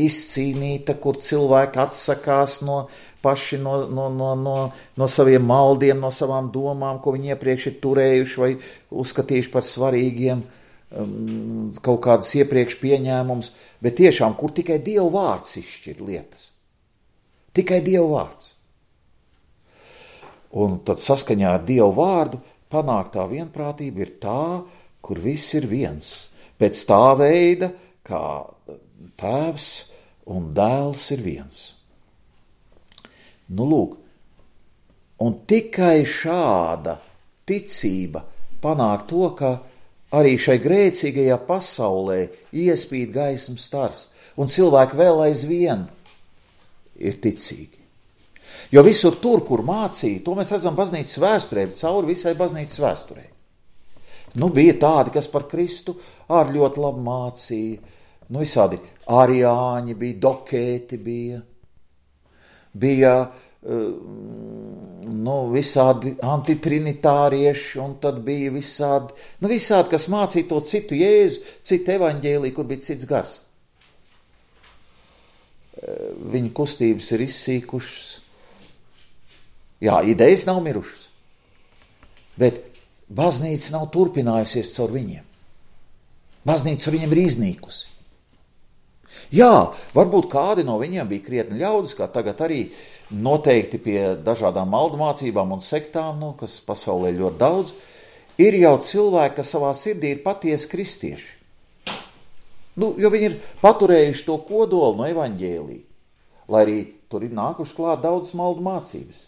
izcīnīta, kur cilvēki atsakās no paši no, no, no, no, no saviem maldiem, no savām domām, ko viņi iepriekš ir turējuši vai uzskatījuši par svarīgiem, kaut kādas iepriekš pieņēmums, bet tiešām, kur tikai Dieva vārds izšķir lietas. Tikai Dieva vārds. Un tad saskaņā ar Dieva vārdu panāktā vienprātība ir tā, kur viss ir viens. Pēc tā veida, kā tēvs un dēls ir viens. Nu lūk, un tikai šāda ticība panāk to, ka arī šai grēcīgajā pasaulē iespīd gaismas stars, un cilvēki vēl aizvien ir ticīgi. Jo visur tur, kur mācīja, to mēs redzam baznīcas vēsturē, cauri visai baznīcas vēsturē. Nu, bija tādi, kas par Kristu ar ļoti labi mācīja, nu, visādi ariāņi bija, dokēti bija, bija nu, visādi antitrinitārieši, un tad bija visādi, nu, visādi, kas mācīja to citu Jēzu, citu evaņģēliju, kur bija cits gars. Viņa kustības ir izsīkušas. Jā, idejas nav mirušas, bet baznīca nav turpinājusies caur viņiem. Baznīca viņiem ir iznīkusi. Jā, varbūt kādi no viņiem bija krietni ļaudis, kā tagad arī noteikti pie dažādām maldu mācībām un sektām, nu, kas pasaulē ļoti daudz, ir jau cilvēki, kas savā sirdī ir patiesi kristieši. Nu, jo viņi ir paturējuši to kodolu no evaņģēlija, lai arī tur ir nākuši klāt daudz maldu mācības.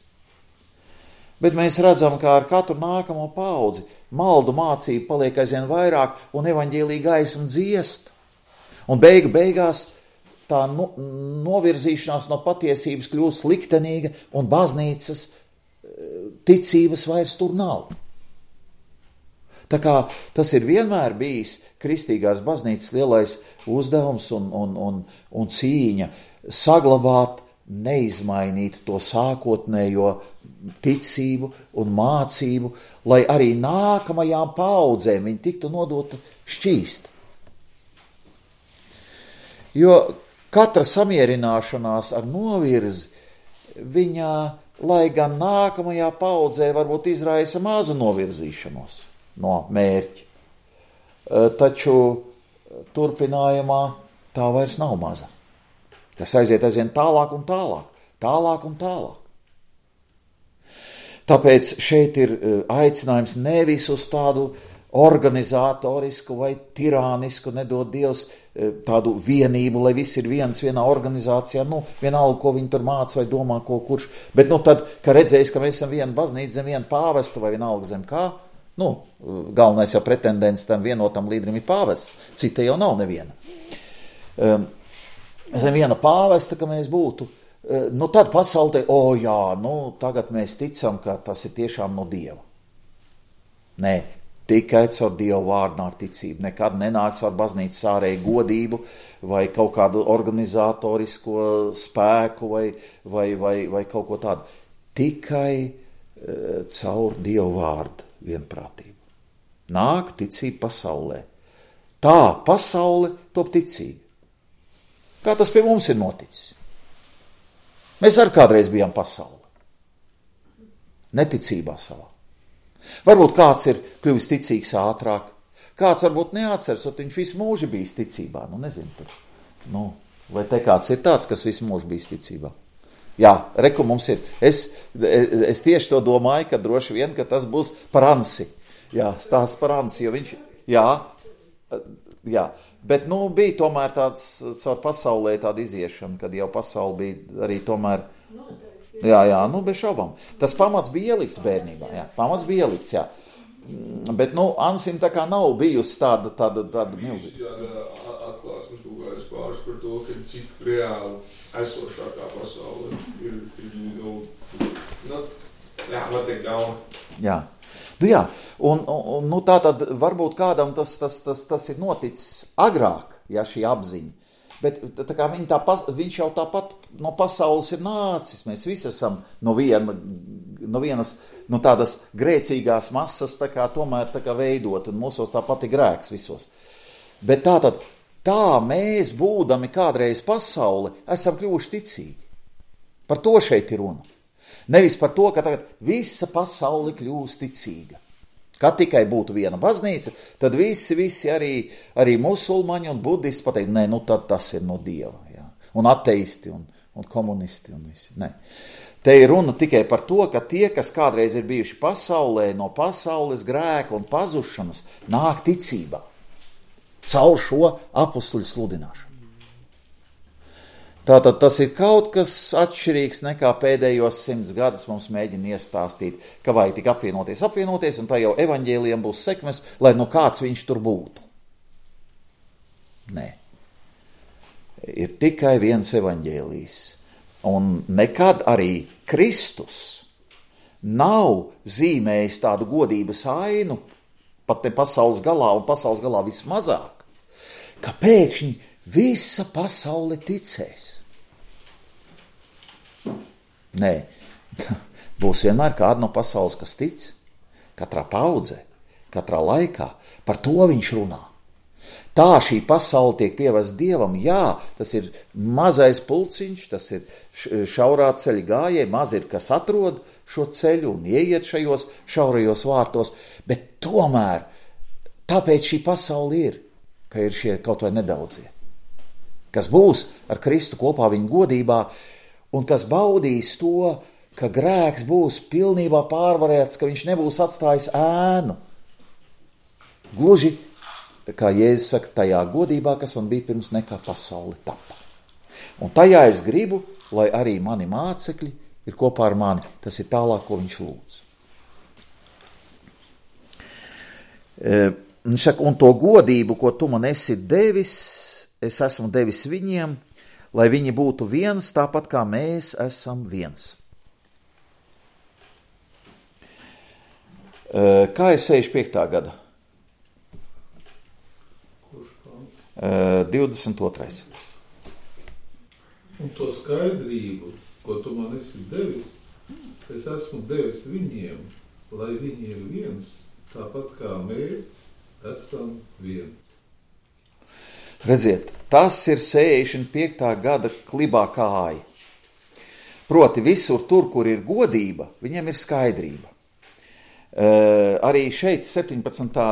Bet mēs redzam, kā ar katru nākamo paudzi maldu mācību paliek aizvien vairāk un evaņģēlija gaisma dziest. Un beigu beigās tā no, novirzīšanās no patiesības kļūst liktenīga un baznīcas ticības vairs tur nav. Tā kā tas ir vienmēr bijis kristīgās baznīcas lielais uzdevums un, un, un, un cīņa saglabāt, neizmainīt to sākotnējo ticību un mācību, lai arī nākamajām paudzēm viņi tiktu nodota šķīst. Jo katra samierināšanās ar novirzi, viņa lai gan nākamajā paudzē varbūt izraisa mazu novirzīšanos no mērķa. Taču turpinājumā tā vairs nav maza. Tas aiziet aizvien tālāk un tālāk, tālāk un tālāk. Tāpēc šeit ir aicinājums nevis uz tādu organizatorisku vai tirānisku, nedod Dievs, tādu vienību, lai viss ir viens vienā organizācijā, nu, vienalga, ko viņi tur māca vai domā, ko kurš, bet nu tad, ka redzējis, ka mēs esam viena baznīca zem viena pāvesta vai vienalga zem kā, nu, galvenais jau pretendents tam vienotam līderim ir pāvests, cita jau nav neviena. Zem viena pāvesta, ka mēs būtu, nu tad pasaulē, o jā, nu tagad mēs ticam, ka tas ir tiešām no Dieva. Nē, tikai caur Dievu vārdu nāk ticība, nekad nenāk caur baznīcas ārēju godību vai kaut kādu organizatorisko spēku vai, vai, vai, vai kaut ko tādu. Tikai uh, caur Dievu vārdu vienprātību. Nāk ticība pasaulē. Tā pasaule top ticīga. Kā tas pie mums ir noticis? Mēs arī kādreiz bijām pasaule. Neticībā savā. Varbūt kāds ir kļuvis ticīgs ātrāk, kāds varbūt neatceras, un viņš visu mūžu bijis ticībā. Nu, nezinu, tur. Nu, vai te kāds ir tāds, kas visu mūžu bijis ticībā? Jā, reku mums ir. Es, es tieši to domāju, ka droši vien, ka tas būs par Ansi. Jā, stāsts par Ansi, jo viņš, jā, jā. Bet, nu, bija tomēr tāds caur pasaulē tāda iziešana, kad jau pasauli bija arī tomēr, jā, jā, nu, bez šaubām. Tas pamats bija ielikts bērnībā, jā, pamats bija ielikts, jā. Bet, nu, Ansim tā kā nav bijusi tāda, tāda, tāda milzīga.
Jā, atklāsmes kaut kādas pāris par to, ka cik reāli esošākā pasaule ir, ir nu, nu, jā, var teikt gauna. Jā.
Nu jā, un, un nu tā tad varbūt kādam tas, tas, tas, tas ir noticis agrāk, ja šī apziņa, bet tā kā viņi tā, viņš jau tāpat no pasaules ir nācis, mēs visi esam no, viena, no vienas, no tādas grēcīgās masas tā kā tomēr tā kā veidot, un mūsos tāpat ir grēks visos. Bet tā tad, tā mēs būdami kādreiz pasauli, esam kļuvuši ticīgi. Par to šeit ir runa. Nevis par to, ka tagad visa pasaule kļūst ticīga. Kad tikai būtu viena baznīca, tad visi, visi arī, arī musulmaņi un budisti pateikt, nē, nu tad tas ir no Dieva. Jā. Un ateisti un, un komunisti un visi. Nē. Te ir runa tikai par to, ka tie, kas kādreiz ir bijuši pasaulē, no pasaules grēka un pazušanas, nāk ticībā. Caur šo apustuļu sludināšanu. Tātad tas ir kaut kas atšķirīgs nekā pēdējos simts gadus mums mēģina iestāstīt, ka vajag tik apvienoties, apvienoties, un tā jau evaņģēlijam būs sekmes, lai nu kāds viņš tur būtu. Nē. Ir tikai viens evaņģēlijs. Un nekad arī Kristus nav zīmējis tādu godības ainu, pat ne pasaules galā un pasaules galā vismazāk, ka pēkšņi visa pasaule ticēs. Nē, būs vienmēr kāda no pasaules, kas tic, katrā paudzē, katrā laikā, par to viņš runā. Tā šī pasaule tiek pievest Dievam, jā, tas ir mazais pulciņš, tas ir šaurā ceļa gājēji, maz ir, kas atrod šo ceļu un ieiet šajos šaurajos vārtos, bet tomēr tāpēc šī pasaule ir, ka ir šie kaut vai nedaudzie, kas būs ar Kristu kopā viņa godībā, un kas baudīs to, ka grēks būs pilnībā pārvarēts, ka viņš nebūs atstājis ēnu. Gluži, kā Jēzus saka, tajā godībā, kas man bija pirms nekā pasaule tapa. Un tajā es gribu, lai arī mani mācekļi ir kopā ar mani. Tas ir tālāk, ko viņš lūdz. Un, saka, un to godību, ko tu man esi devis, es esmu devis viņiem, lai viņi būtu viens, tāpat kā mēs esam viens. Kā ir sešdesmit piektā gada?
Kurš pants?
divdesmit otrais.
Un to skaidrību, ko tu man esi devis, es esmu devis viņiem, lai viņi ir viens, tāpat kā mēs esam viens.
Redziet, tas ir sešdesmit piektā gada klibā kāja. Proti visur tur, kur ir godība, viņiem ir skaidrība. Uh, arī šeit septiņpadsmitā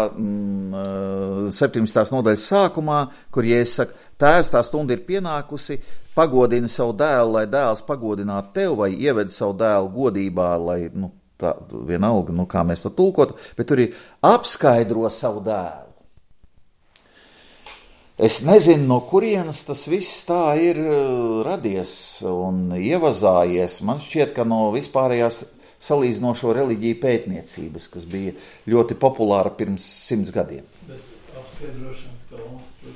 Mm, septiņdesmitās nodaļas sākumā, kur Jēzus saka, tēvs, tā stunda ir pienākusi, pagodini savu dēlu, lai dēls pagodinātu tev, vai ieved savu dēlu godībā, lai, nu, tā, vienalga, nu, kā mēs to tulkotu, bet tur ir apskaidro savu dēlu. Es nezinu, no kurienes tas viss tā ir radies un ievazājies. Man šķiet, ka no vispārējās salīdzinošo reliģiju pētniecības, kas bija ļoti populāra pirms simts gadiem.
Bet apskaidrošanas kalns tur.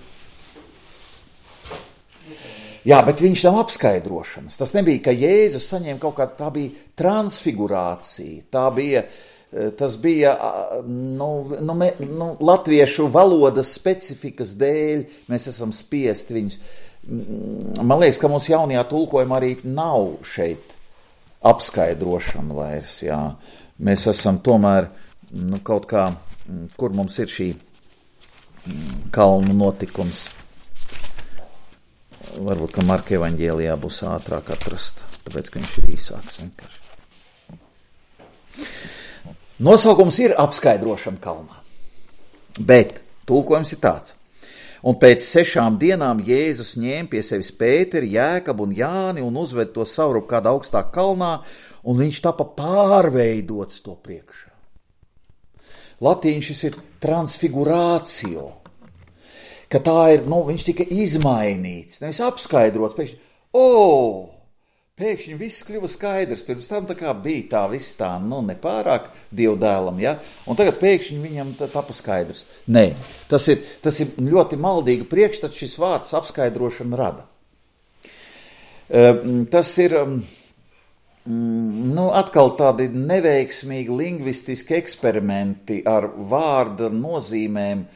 Jā, bet viņš nav apskaidrošanas. Tas nebija, ka Jēzus saņēma kaut kāds, tā bija transfigurācija, tā bija, tas bija, nu, nu, me, nu latviešu valodas specifikas dēļ, mēs esam spiesti viņus. Man liekas, ka mums jaunajā tulkojumā arī nav šeit apskaidrošana vairs, jā. Mēs esam tomēr, nu, kaut kā, kur mums ir šī kalnu notikums. Varbūt, ka Marka evaņģēlijā būs ātrāk atrast, tāpēc, ka viņš ir īsāks vienkārši. Nosaukums ir apskaidrošana kalnā, bet tulkojums ir tāds. Un pēc sešām dienām Jēzus ņēma pie sevis Pēteri, Jēkabu un Jāni un uzved to saurup kādā augstā kalnā, un viņš tapa pārveidots to priekšā. Latīņš šis ir transfigurācio, ka tā ir, nu, viņš tika izmainīts, nevis apskaidrots, pēkšņi, o, pēkšņi viss kļuva skaidrs, pirms tam tā kā bija tā viss tā, nu, nepārāk dievdēlam, ja, un tagad pēkšņi viņam tapa skaidrs. Nē, tas ir, tas ir ļoti maldīga priekšstats, šis vārds apskaidrošana rada. Tas ir, nu, atkal tādi neveiksmīgi lingvistiski eksperimenti ar vārda nozīmēm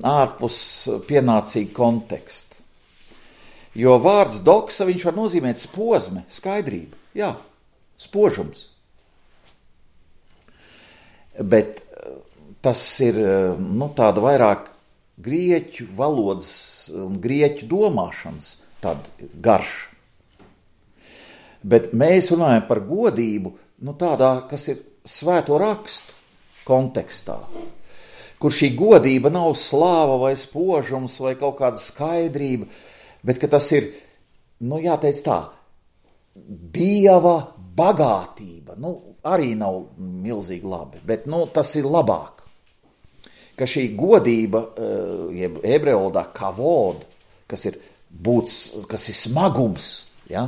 ārpus pienācīga konteksta. Jo vārds doksa, viņš var nozīmēt spozme, skaidrība, jā, spožums. Bet tas ir, nu, tāda vairāk grieķu valodas un grieķu domāšanas tāda garša. Bet mēs runājam par godību, nu, tādā, kas ir svēto rakstu kontekstā, kur šī godība nav slāva vai spožums vai kaut kāda skaidrība, bet ka tas ir, nu, jāteic tā, Dieva bagātība, nu, arī nav milzīgi labi, bet, nu, tas ir labāk. Ka šī godība, jeb ebreju valodā kavod, kas ir būts, kas ir smagums, ja?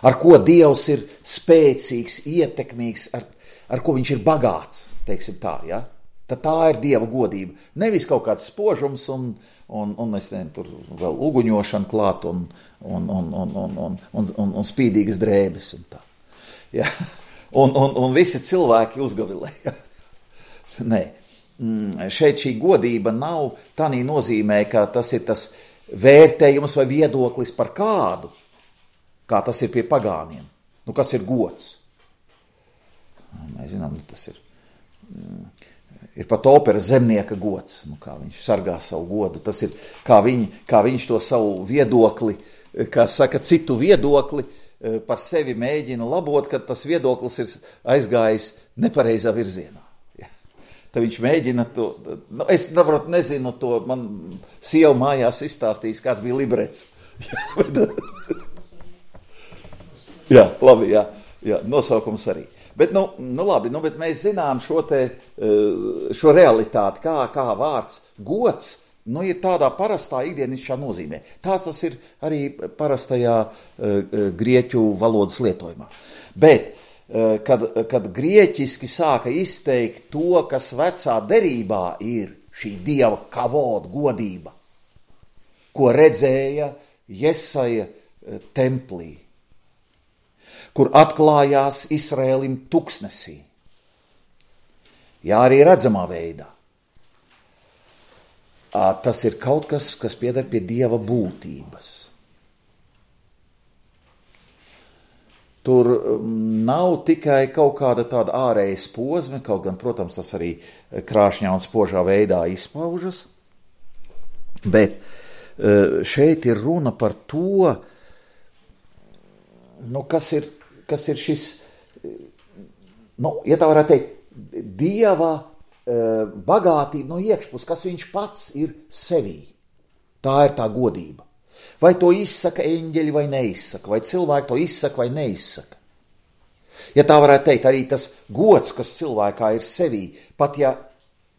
Ar ko Dievs ir spēcīgs, ietekmīgs, ar, ar ko viņš ir bagāts, teiksim tā, ja? Tad tā ir Dieva godība. Nevis kaut kāds spožums un, un, un es nezinu, tur vēl uguņošana klāt un, un, un, un, un, un, un, un, un spīdīgas drēbes un tā. Ja? Un, un, un visi cilvēki uzgavilē. Ja? Nē, šeit šī godība nav tādā nozīmē, ka tas ir tas vērtējums vai viedoklis par kādu, kā tas ir pie pagāniem. Nu, kas ir gods? Mēs zinām, nu, tas ir... Ir pat opera zemnieka gods, nu, kā viņš sargā savu godu. Tas ir, kā, viņ, kā viņš to savu viedokli, kā saka, citu viedokli par sevi mēģina labot, kad tas viedoklis ir aizgājis nepareizā virzienā. Ja. Tad viņš mēģina to, nu, es nevaru, nezinu to, man sieva mājās izstāstījis, kāds bija librets. Ja, bet, jā, labi, jā, jā, nosaukums arī. Bet, nu, nu labi, nu, bet mēs zinām šo te, šo realitāti, kā, kā vārds gods, nu, ir tādā parastā ikdienišķā nozīmē. Tāds tas ir arī parastajā uh, grieķu valodas lietojumā. Bet, uh, kad, kad grieķiski sāka izteikt to, kas vecā derībā ir šī Dieva kavod godība, ko redzēja Jesaja uh, templī, kur atklājās Izraēlim tuksnesī. Jā, arī redzamā veidā. Tas ir kaut kas, kas pieder pie Dieva būtības. Tur nav tikai kaut kāda tāda ārējas posme, kaut gan, protams, tas arī krāšņā un spožā veidā izpaužas, bet šeit ir runa par to, nu, kas ir, kas ir šis, nu, ja tā varētu teikt, Dieva uh, bagātība no iekšpus, kas viņš pats ir sevī. Tā ir tā godība. Vai to izsaka eņģeļi vai neizsaka, vai cilvēki to izsaka vai neizsaka. Ja tā varētu teikt, arī tas gods, kas cilvēkā ir sevī, pat ja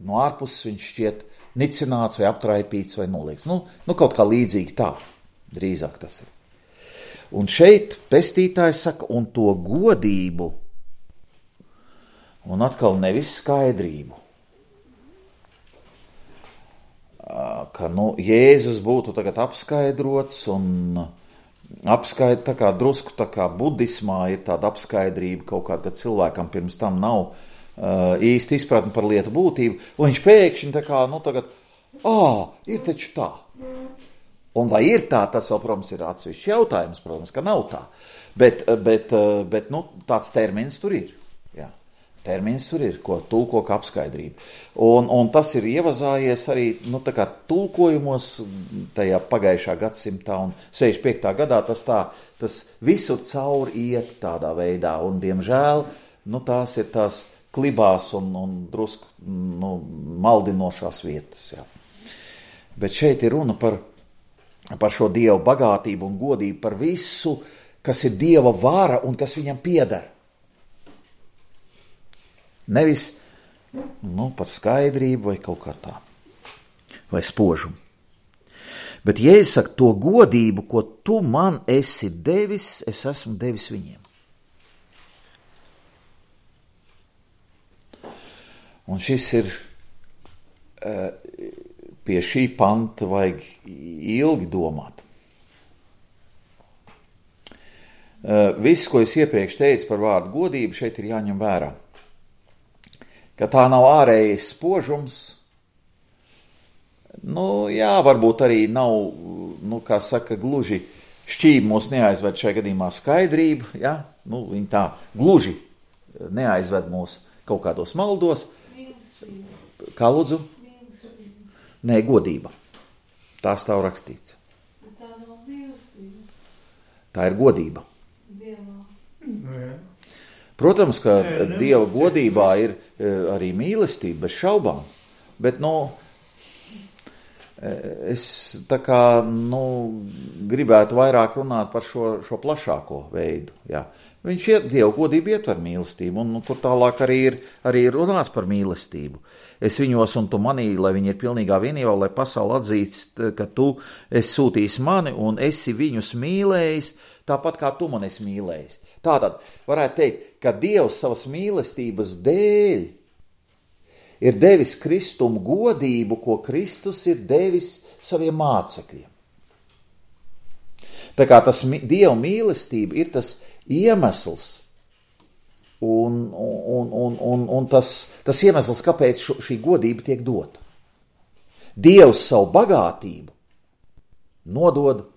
no ārpuses viņš šķiet nicināts vai aptraipīts vai noliekts. Nu, nu kaut kā līdzīgi tā, drīzāk tas ir. Un šeit pestītājs saka, un to godību, un atkal nevis skaidrību, ka, nu, Jēzus būtu tagad apskaidrots un apskaid, tā kā drusku tā kā budismā ir tāda apskaidrība kaut kāda, ka cilvēkam pirms tam nav uh, īsti izpratni par lietu būtību, un viņš pēkšņi tā kā, nu, tagad, ā, ir taču tā. Un vai ir tā, tas vēl, protams, ir atsevišķs jautājums, protams, ka nav tā, bet, bet, bet nu, tāds termins tur ir, jā. Termins tur ir, ko tulko kā apskaidrība. Un, un tas ir ievazājies arī, nu, tā kā tulkojumos tajā pagājušā gadsimtā un sešdesmit piektā gadā tas tā, tas visur cauri iet tādā veidā, un, diemžēl, nu, tās ir tās klibās un, un drusku, nu, maldinošās vietas, jā. Bet šeit ir runa par, par šo Dieva bagātību un godību, par visu, kas ir Dieva vara un kas viņam pieder. Nevis, nu, par skaidrību vai kaut kā tā, vai spožumu. Bet Jēzus saka, to godību, ko tu man esi devis, es esmu devis viņiem. Un šis ir, pie šī panta vajag ilgi domāt. Viss, ko es iepriekš teicu par vārdu godību, šeit ir jāņem vērā. Ka tā nav ārējais spožums, nu, jā, varbūt arī nav, nu, kā saka, gluži šķība mūs neaizved šajā gadījumā skaidrība, jā, nu, viņi tā gluži neaizved mūs kaut kādos maldos. Kā lūdzu? Nē, godība. Tā stāv rakstīts.
Tā nav mīlestība.
Tā ir godība.
Dievā.
Jā.
Protams, ka
Nē,
Dieva godībā ir arī mīlestība, bez šaubām, bet, nu, es tā kā, nu, gribētu vairāk runāt par šo, šo plašāko veidu, jā. Viņš iet, Dieva godība ietver mīlestību, un nu, tur tālāk arī ir, arī ir runāts par mīlestību. Es viņos un tu manī, lai viņi ir pilnīgā vienībā, lai pasauli atzīst, ka tu esi sūtījis mani un esi viņus mīlējis, tāpat kā tu man esi mīlējis. Tātad varētu teikt, ka Dievs savas mīlestības dēļ ir devis Kristumu godību, ko Kristus ir devis saviem mācekļiem. Tā kā tas Dieva mīlestība ir tas iemesls un, un, un, un, un tas, tas iemesls, kāpēc šī godība tiek dota. Dievs savu bagātību nodod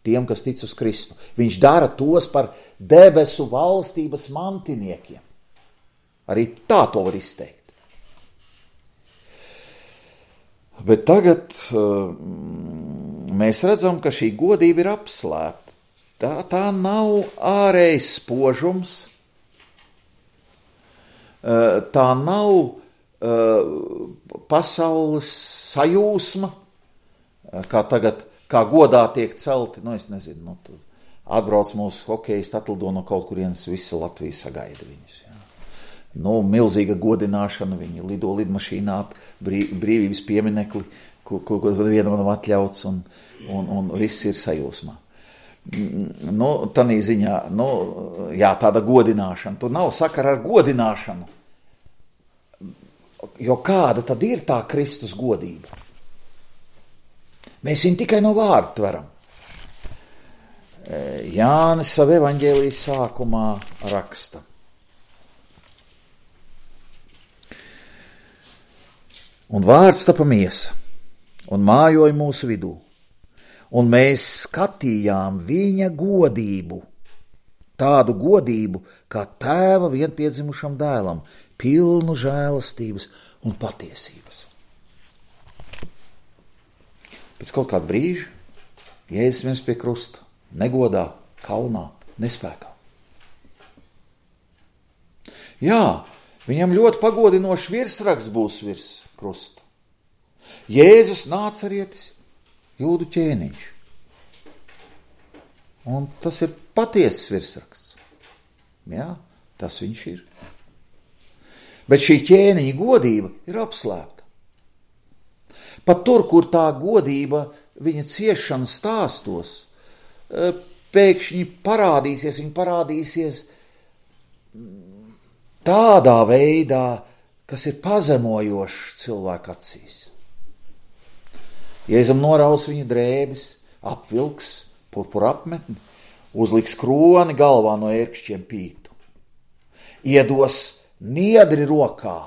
tiem, kas tic uz Kristu. Viņš dara tos par debesu valstības mantiniekiem. Arī tā to var izteikt. Bet tagad uh, mēs redzam, ka šī godība ir apslēpta. Tā, tā nav ārējs spožums, uh, tā nav uh, pasaules sajūsma, uh, kā tagad kā godā tiek celti, nu es nezinu, nu, tu atbrauc mūsu hokejisti, atlido no kaut kurienes, visa Latvija sagaida viņus. Jā. Nu, milzīga godināšana, viņi lido lidmašīnā ap brī, brīvības pieminekli, ko, ko, ko vienam nav atļauts, un, un, un viss ir sajūsmā. Nu, tanī ziņā, nu, jā, tāda godināšana, tur nav sakara ar godināšanu, jo kāda tad ir tā Kristus godība? Mēs viņu tikai no vārda tveram. Jānis savu evaņģēlijas sākumā raksta. Un vārds tapa miesa, un mājoja mūsu vidū, un mēs skatījām viņa godību, tādu godību, kā tēva vienpiedzimušam dēlam, pilnu žēlastības un patiesības. Pēc kaut kāda brīža Jēzus viens pie krusta, negodā, kaunā, nespēkā. Jā, viņam ļoti pagodinošs virsraksts būs virs krusta. Jēzus Nācarietis, jūdu ķēniņš. Un tas ir patiesas virsraksts. Jā, tas viņš ir. Bet šī ķēniņa godība ir apslēpta. Pat tur, kur tā godība viņa ciešana stāstos, pēkšņi parādīsies, viņa parādīsies tādā veidā, kas ir pazemojošs cilvēku acīs. Jēzum noraus viņa drēbes, apvilks purpura apmetni, uzliks kroni galvā no ērkšķiem pītu, iedos niedri rokā,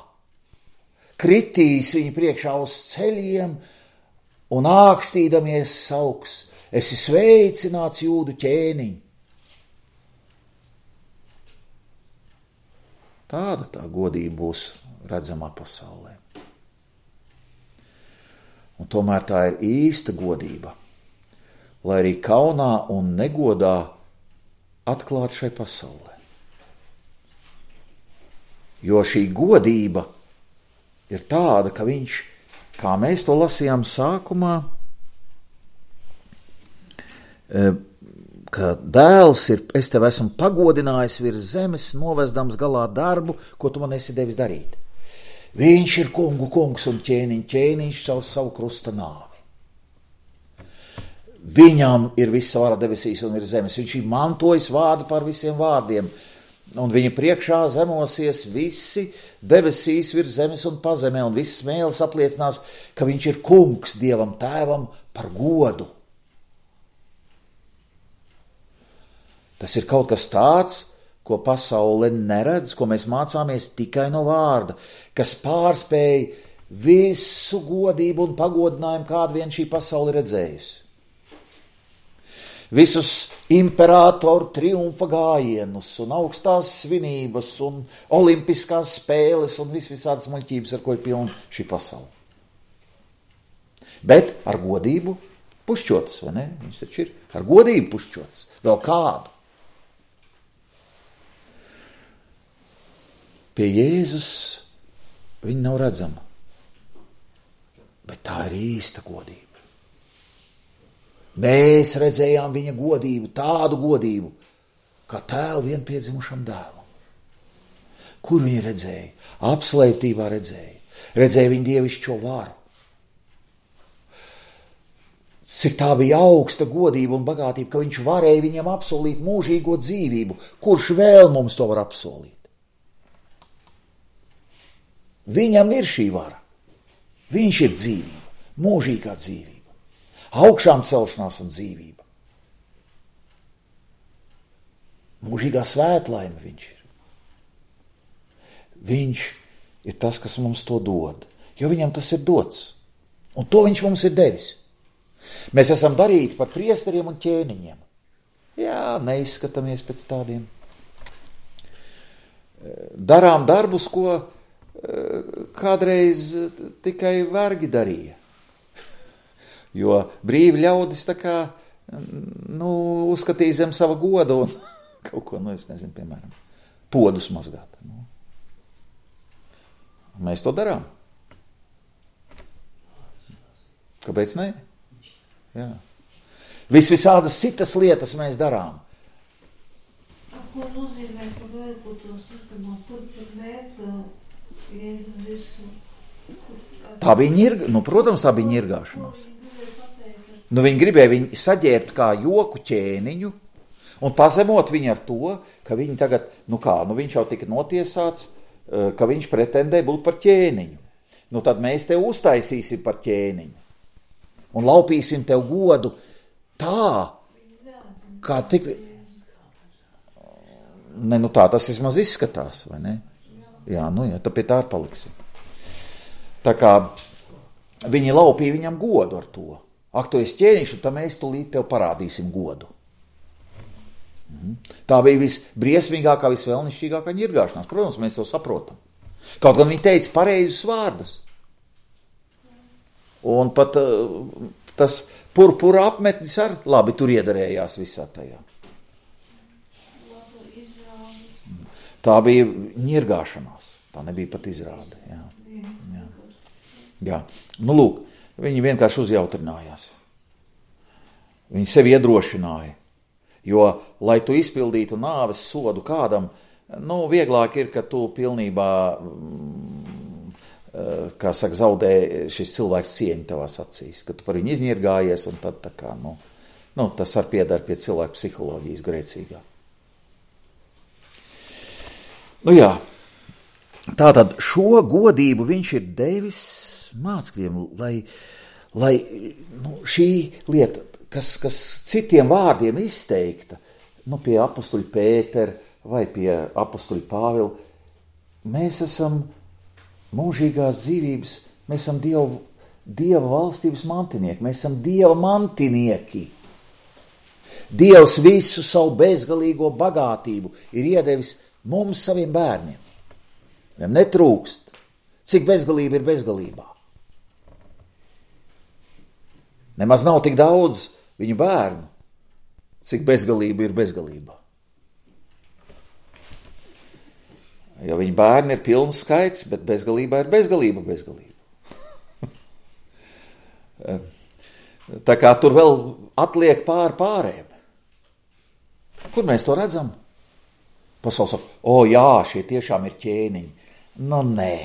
kritīs viņa priekšā uz ceļiem un ākstīdamies sauks: esi sveicināts, jūdu ķēniņ. Tāda tā godība būs redzamā pasaulē. Un tomēr tā ir īsta godība, lai arī kaunā un negodā atklāt šai pasaulē. Jo šī godība ir tāda, ka viņš, kā mēs to lasījām sākumā, ka dēls ir, es tev esmu pagodinājis virs zemes, novezdams galā darbu, ko tu man esi devis darīt. Viņš ir kungu kungs un ķēniņ, ķēniņš savu, savu krusta nāvi. Viņam ir visa vara debesīs un ir zemes. Viņš ir mantojis vārdu par visiem vārdiem. Un viņa priekšā zemosies visi debesīs virs zemes un pazemē, un viss mēlis apliecinās, ka viņš ir kungs Dievam tēvam par godu. Tas ir kaut kas tāds, ko pasaule neredz, ko mēs mācāmies tikai no vārda, kas pārspēj visu godību un pagodinājumu, kādu vien šī pasaule redzējusi. Visus imperatoru triumfa gājienus un augstās svinības un olimpiskās spēles un vis visādas muļķības, ar ko ir pilna šī pasaule. Bet ar godību pušķotas, vai ne? Viņš taču ir ar godību pušķotas. Vēl kādu. Pie Jēzus viņa nav redzama, bet tā ir īsta godība. Mēs redzējām viņa godību, tādu godību, kā tēvu vienpiedzimušam dēlam. Kur viņi redzēja? Apslēptībā redzēja. Redzēja viņa dievišķo varu. Cik tā bija augsta godība un bagātība, ka viņš varēja viņam apsolīt mūžīgo dzīvību. Kurš vēl mums to var apsolīt? Viņam ir šī vara. Viņš ir dzīvība, mūžīgā dzīvība, augšām celšanās un dzīvība. Mūžīgā svētlaime viņš ir. Viņš ir tas, kas mums to dod, jo viņam tas ir dots. Un to viņš mums ir devis. Mēs esam darīti par priesteriem un ķēniņiem. Jā, neizskatāmies pēc tādiem. Darām darbus, ko kādreiz tikai vergi darīja. Jo brīvi ļaudis tā kā, nu, uzskatīja zem sava goda un kaut ko, nu, es nezinu, piemēram, podus mazgāt. Nu. Mēs to darām. Kāpēc ne? Jā. Vis visādas citas lietas mēs darām.
Ko nozīmē, ka vajag to sistemā, kur tur mērķa Jēzus visu?
Tā bija ņirga, nu, protams, tā bija ņirgāšanās. Nu, viņi gribēja viņu saģērbt kā joku ķēniņu un pazemot viņu ar to, ka viņi tagad, nu kā, nu viņš jau tika notiesāts, ka viņš pretendē būt par ķēniņu. Nu, tad mēs tev uztaisīsim par ķēniņu un laupīsim tev godu tā, kā tik... Ne, nu tā tas vismaz izskatās, vai ne? Jā, nu jā, tad pie tā ir paliksim. Tā kā viņi laupīja viņam godu ar to. Ak, tu esi ķēniņš, un tad mēs tulīt tev parādīsim godu. Mhm. Tā bija visbriesmīgākā, visvēlnišķīgākā ņirgāšanās. Protams, mēs to saprotam. Kaut gan viņi teica pareizus vārdus. Un pat uh, tas purpura apmetnis ar labi tur iedarējās visā tajā. Tā bija ņirgāšanās, tā nebija pat izrāde. Jā. Jā. Jā. Nu, lūk, viņi vienkārši uzjautrinājās. Viņi sevi iedrošināja, jo, lai tu izpildītu nāves sodu kādam, nu, vieglāk ir, ka tu pilnībā, kā saka, zaudē šis cilvēks cieņu tavās acīs, ka tu par viņu izņirgājies, un tad tā kā, nu, nu tas ar piedara pie cilvēku psiholoģijas grēcīgā. Nu jā, tātad šo godību viņš ir devis mācekļiem, lai, lai nu, šī lieta, kas, kas citiem vārdiem izteikta, nu, pie apostuļa Pētera vai pie apostuļa Pāvila, mēs esam mūžīgās dzīvības, mēs esam Dievu, Dieva valstības mantinieki, mēs esam Dieva mantinieki. Dievs visu savu bezgalīgo bagātību ir iedevis mums, saviem bērniem. Viņam netrūkst. Cik bezgalība ir bezgalībā? Nemaz nav tik daudz viņu bērnu, cik bezgalība ir bezgalībā. Jo viņa bērni ir pilns skaits, bet bezgalībā ir bezgalība bezgalība. Tā kā tur vēl atliek pār pārējiem. Kur mēs to redzam? Pasaules saka, o jā, šie tiešām ir ķēniņi. Nu nē,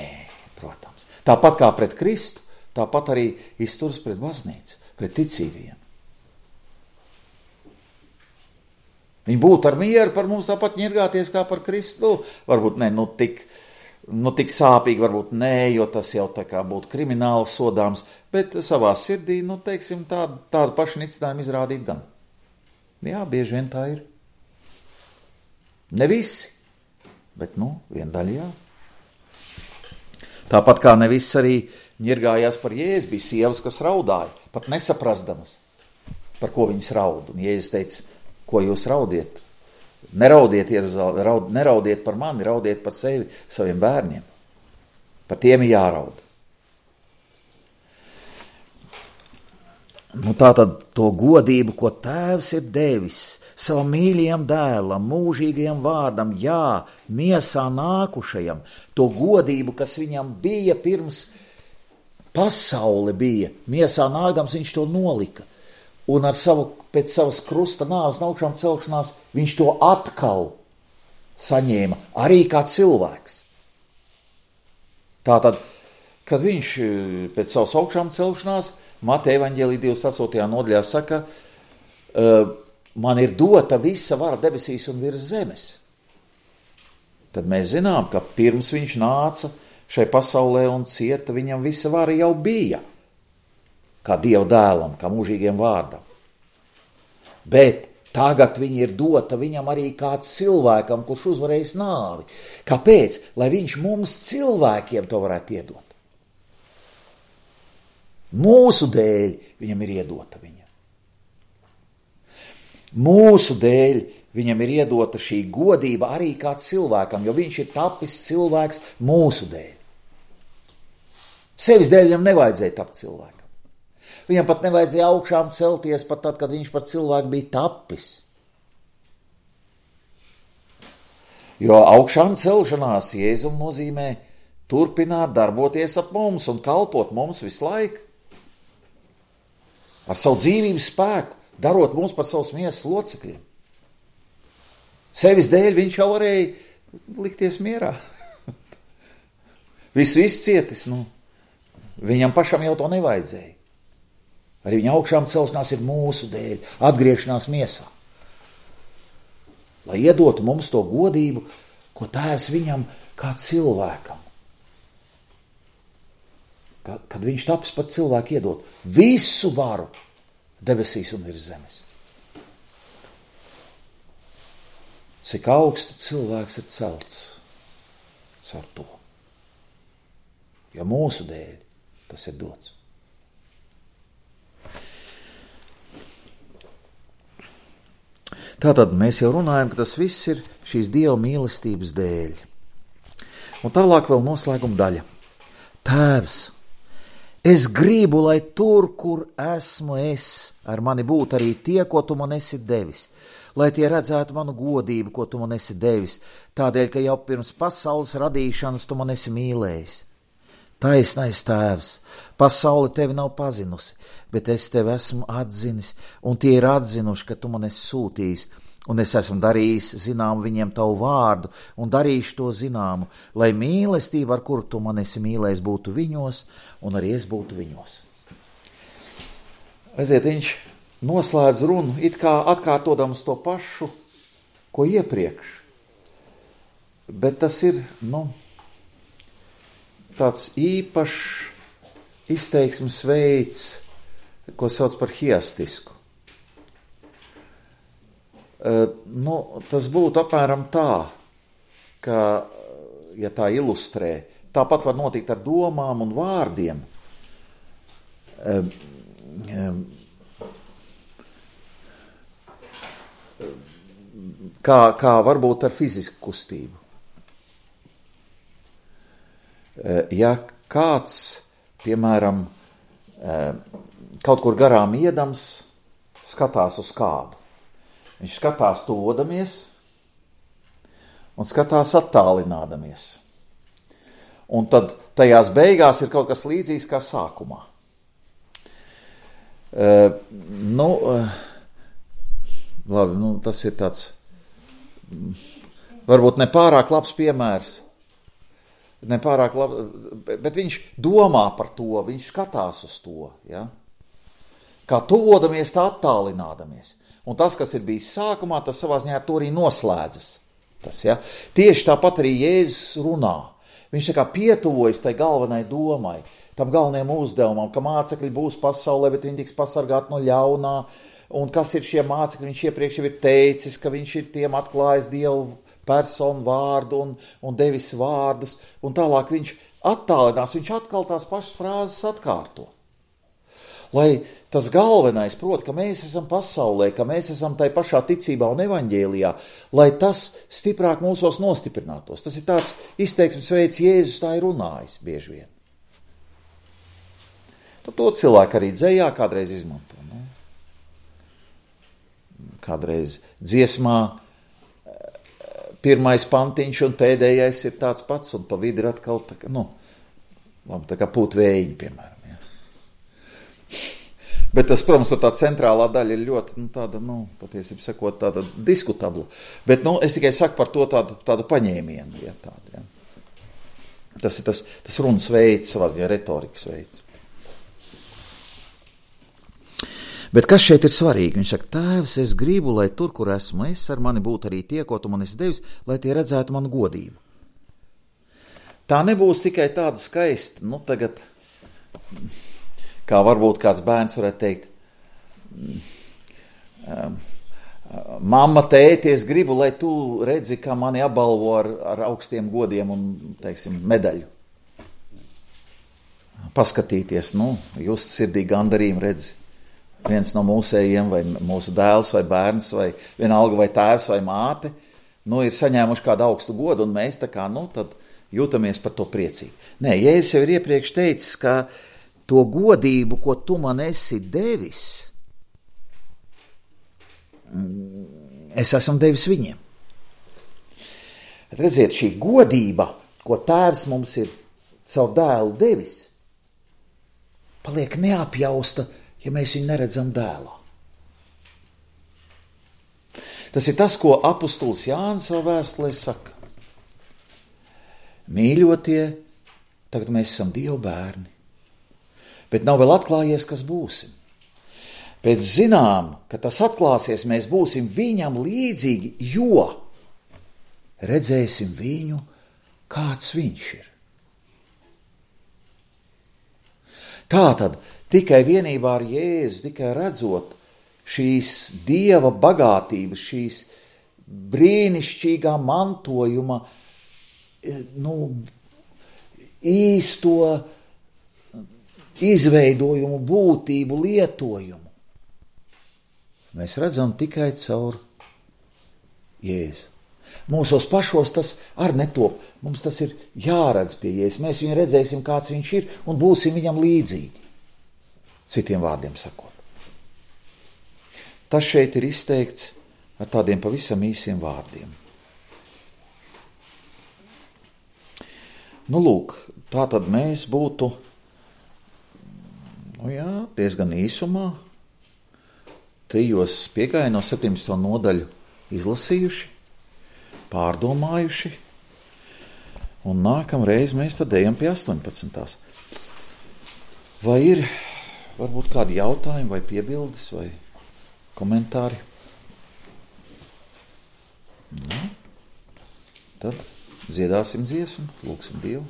protams. Tāpat kā pret Kristu, tāpat arī izturas pret baznīcu, pret ticīgajiem. Viņi būtu ar mieru par mums tāpat ņirgāties kā par Kristu. Nu, varbūt ne, nu tik, nu tik sāpīgi, varbūt nē, jo tas jau tā kā būtu krimināli sodāms, bet savā sirdī, nu teiksim, tādu, tādu pašu nicinājumu izrādīt gan. Jā, bieži vien tā ir. Ne visi, bet, nu, viena daļa jā. Tāpat kā ne visi arī ņirgājās par Jēzu, bija sievas, kas raudāja, pat nesaprasdamas, par ko viņas raud. Un Jēzus teica, ko jūs raudiet? Neraudiet, raud, neraudiet par mani, raudiet par sevi, saviem bērniem. Par tiem ir jāraud. Nu, tātad to godību, ko Tēvs ir devis savam mīļajam dēlam, mūžīgajam vārdam, jā, miesā nākušajam, to godību, kas viņam bija pirms pasaule bija, miesā nākdams viņš to nolika. Un ar savu, pēc savas krusta nāves un augšām celšanās, viņš to atkal saņēma, arī kā cilvēks. Tātad, kad viņš pēc savas augšām celšanās, Mateja evaņģēlija divdesmit astotajā nodaļā saka, man ir dota visa vara debesīs un virs zemes. Tad mēs zinām, ka pirms viņš nāca šai pasaulē un cieta, viņam visa vara jau bija. Kā Dieva dēlam, kā mūžīgiem vārdam. Bet tagad viņa ir dota viņam arī kā cilvēkam, kurš uzvarējis nāvi. Kāpēc? Lai viņš mums cilvēkiem to varētu iedot. Mūsu dēļ viņam ir iedota viņa. Mūsu dēļ viņam ir iedota šī godība arī kā cilvēkam, jo viņš ir tapis cilvēks mūsu dēļ. Sevis dēļ viņam nevajadzēja tapt cilvēkam. Viņam pat nevajadzēja augšām celties pat tad, kad viņš par cilvēku bija tapis. Jo augšām celšanās Jēzum nozīmē turpināt darboties ap mums un kalpot mums visu laiku. Ar savu dzīvības spēku, darot mums par savus miesas locekļiem. Sevis dēļ viņš jau varēja likties mierā. Visu izcietis, nu, viņam pašam jau to nevajadzēja. Arī viņa augšām celšanās ir mūsu dēļ, atgriešanās miesā. Lai iedotu mums to godību, ko Tēvs viņam kā cilvēkam. Kad viņš taps par cilvēku iedot visu varu debesīs un virs zemes. Cik augstu cilvēks ir celts caur to. Jo mūsu dēļ tas ir dots. Tātad mēs jau runājam, ka tas viss ir šīs Dieva mīlestības dēļ. Un tālāk vēl noslēguma daļa. Tēvs, es gribu, lai tur, kur esmu es, ar mani būtu arī tie, ko tu man esi devis, lai tie redzētu manu godību, ko tu man esi devis, tādēļ, ka jau pirms pasaules radīšanas tu man esi mīlējis. Taisnais Tēvs, pasaule tevi nav pazinusi, bet es tevi esmu atzinis, un tie ir atzinuši, ka tu man esi sūtījis, un es esmu darījis zinām viņiem tavu vārdu, un darīšu to zināmu, lai mīlestība, ar kuru tu man esi mīlējis, būtu viņos, un arī es būtu viņos. Redziet, viņš noslēdz runu, it kā atkārtodams to pašu, ko iepriekš, bet tas ir, nu, tāds īpašs izteiksmes veids, ko sauc par hiastisku. Uh, nu, tas būtu apmēram tā, ka, ja tā ilustrē, tāpat var notikt ar domām un vārdiem. Uh, uh, kā, kā varbūt ar fizisku kustību. Ja kāds, piemēram, kaut kur garām iedams, skatās uz kādu, viņš skatās tuvodamies un skatās attālinādamies. Un tad tajās beigās ir kaut kas līdzīgs kā sākumā. Uh, nu, uh, labi, nu, tas ir tāds, varbūt nepārāk labs piemērs, nepārāk labi, bet viņš domā par to, viņš skatās uz to, ja? Kā tuvodamies, tā attālinādamies. Un tas, kas ir bijis sākumā, tas savā ziņā ar to arī noslēdzas. Tas, ja? Tieši tāpat arī Jēzus runā. Viņš tā kā pietuvojas tai galvenai domai, tam galvenajam uzdevumam, ka mācekļi būs pasaulē, bet viņi tiks pasargāti no ļaunā, un kas ir šie mācekļi, viņš iepriekš jau ir teicis, ka viņš ir tiem atklājis Dievu personu vārdu un, un devis vārdus, un tālāk viņš attālinās, viņš atkal tās pašas frāzes atkārto. Lai tas galvenais, proti, ka mēs esam pasaulē, ka mēs esam tai pašā ticībā un evaņģēlijā, lai tas stiprāk mūsos nostiprinātos. Tas ir tāds izteiksmes veids, Jēzus tā ir runājis bieži vien. To, to cilvēku arī dzejā kādreiz izmanto. Ne? Kādreiz dziesmā pirmais pantiņš un pēdējais ir tāds pats, un pa vidi ir atkal tā kā, nu, labi, tā kā pūt vējiņi, piemēram. Ja. Bet tas, protams, tā centrālā daļa ir ļoti, nu, tāda, nu, patiesībā sakot, tāda diskutabla. Bet, nu, es tikai saku par to tādu, tādu paņēmienu, ja, tādu, ja. Tas ir tas, tas runas veids, savā ziņā retorikas veids. Bet kas šeit ir svarīgi? Viņš saka, Tēvs, es gribu, lai tur, kur esmu es, ar mani būtu arī tie, ko tu man esi devis, lai tie redzētu manu godību. Tā nebūs tikai tāda skaista, nu tagad, kā varbūt kāds bērns varētu teikt, mamma, tēti, es gribu, lai tu redzi, kā mani apbalvo ar, ar augstiem godiem un, teiksim, medaļu. Paskatīties, nu, just sirdī gandarījumu redzi. Viens no mūsējiem, vai mūsu dēls, vai bērns, vai vienalga, vai tēvs, vai māte, nu, ir saņēmuši kādu augstu godu, un mēs tā kā, nu, tad jūtamies par to priecīgi. Nē, Jēzus jau ir iepriekš teicis, ka to godību, ko tu man esi devis, es esmu devis viņiem. Redziet, šī godība, ko Tēvs mums ir savu dēlu devis, paliek neapjausta, ja mēs viņu neredzam dēlā. Tas ir tas, ko apustulis Jānis savā vēstulē saka. Mīļotie, tagad mēs esam Dieva bērni, bet nav vēl atklājies, kas būsim. Pēc zinām, ka tas atklāsies, mēs būsim viņam līdzīgi, jo redzēsim viņu, kāds viņš ir. Tātad, tikai vienībā ar Jēzu, tikai redzot šīs Dieva bagātības, šīs brīnišķīgā mantojuma, nu, īsto izveidojumu, būtību, lietojumu, mēs redzam tikai caur Jēzu. Mūsos pašos tas ar netop. Mums tas ir jāredz pie Jēzus. Mēs viņu redzēsim, kāds viņš ir, un būsim viņam līdzīgi. Citiem vārdiem sakot. Tas šeit ir izteikts ar tādiem pavisam īsiem vārdiem. Nu, lūk, tā tad mēs būtu, nu jā, diezgan īsumā, trijos piegājienos septiņdesmito nodaļu izlasījuši, pārdomājuši, un nākamreiz mēs tad ejam pie astoņpadsmitās. Vai ir varbūt kādi jautājumi vai piebildes vai komentāri? Nu, tad dziedāsim dziesmu, lūgsim Dievu.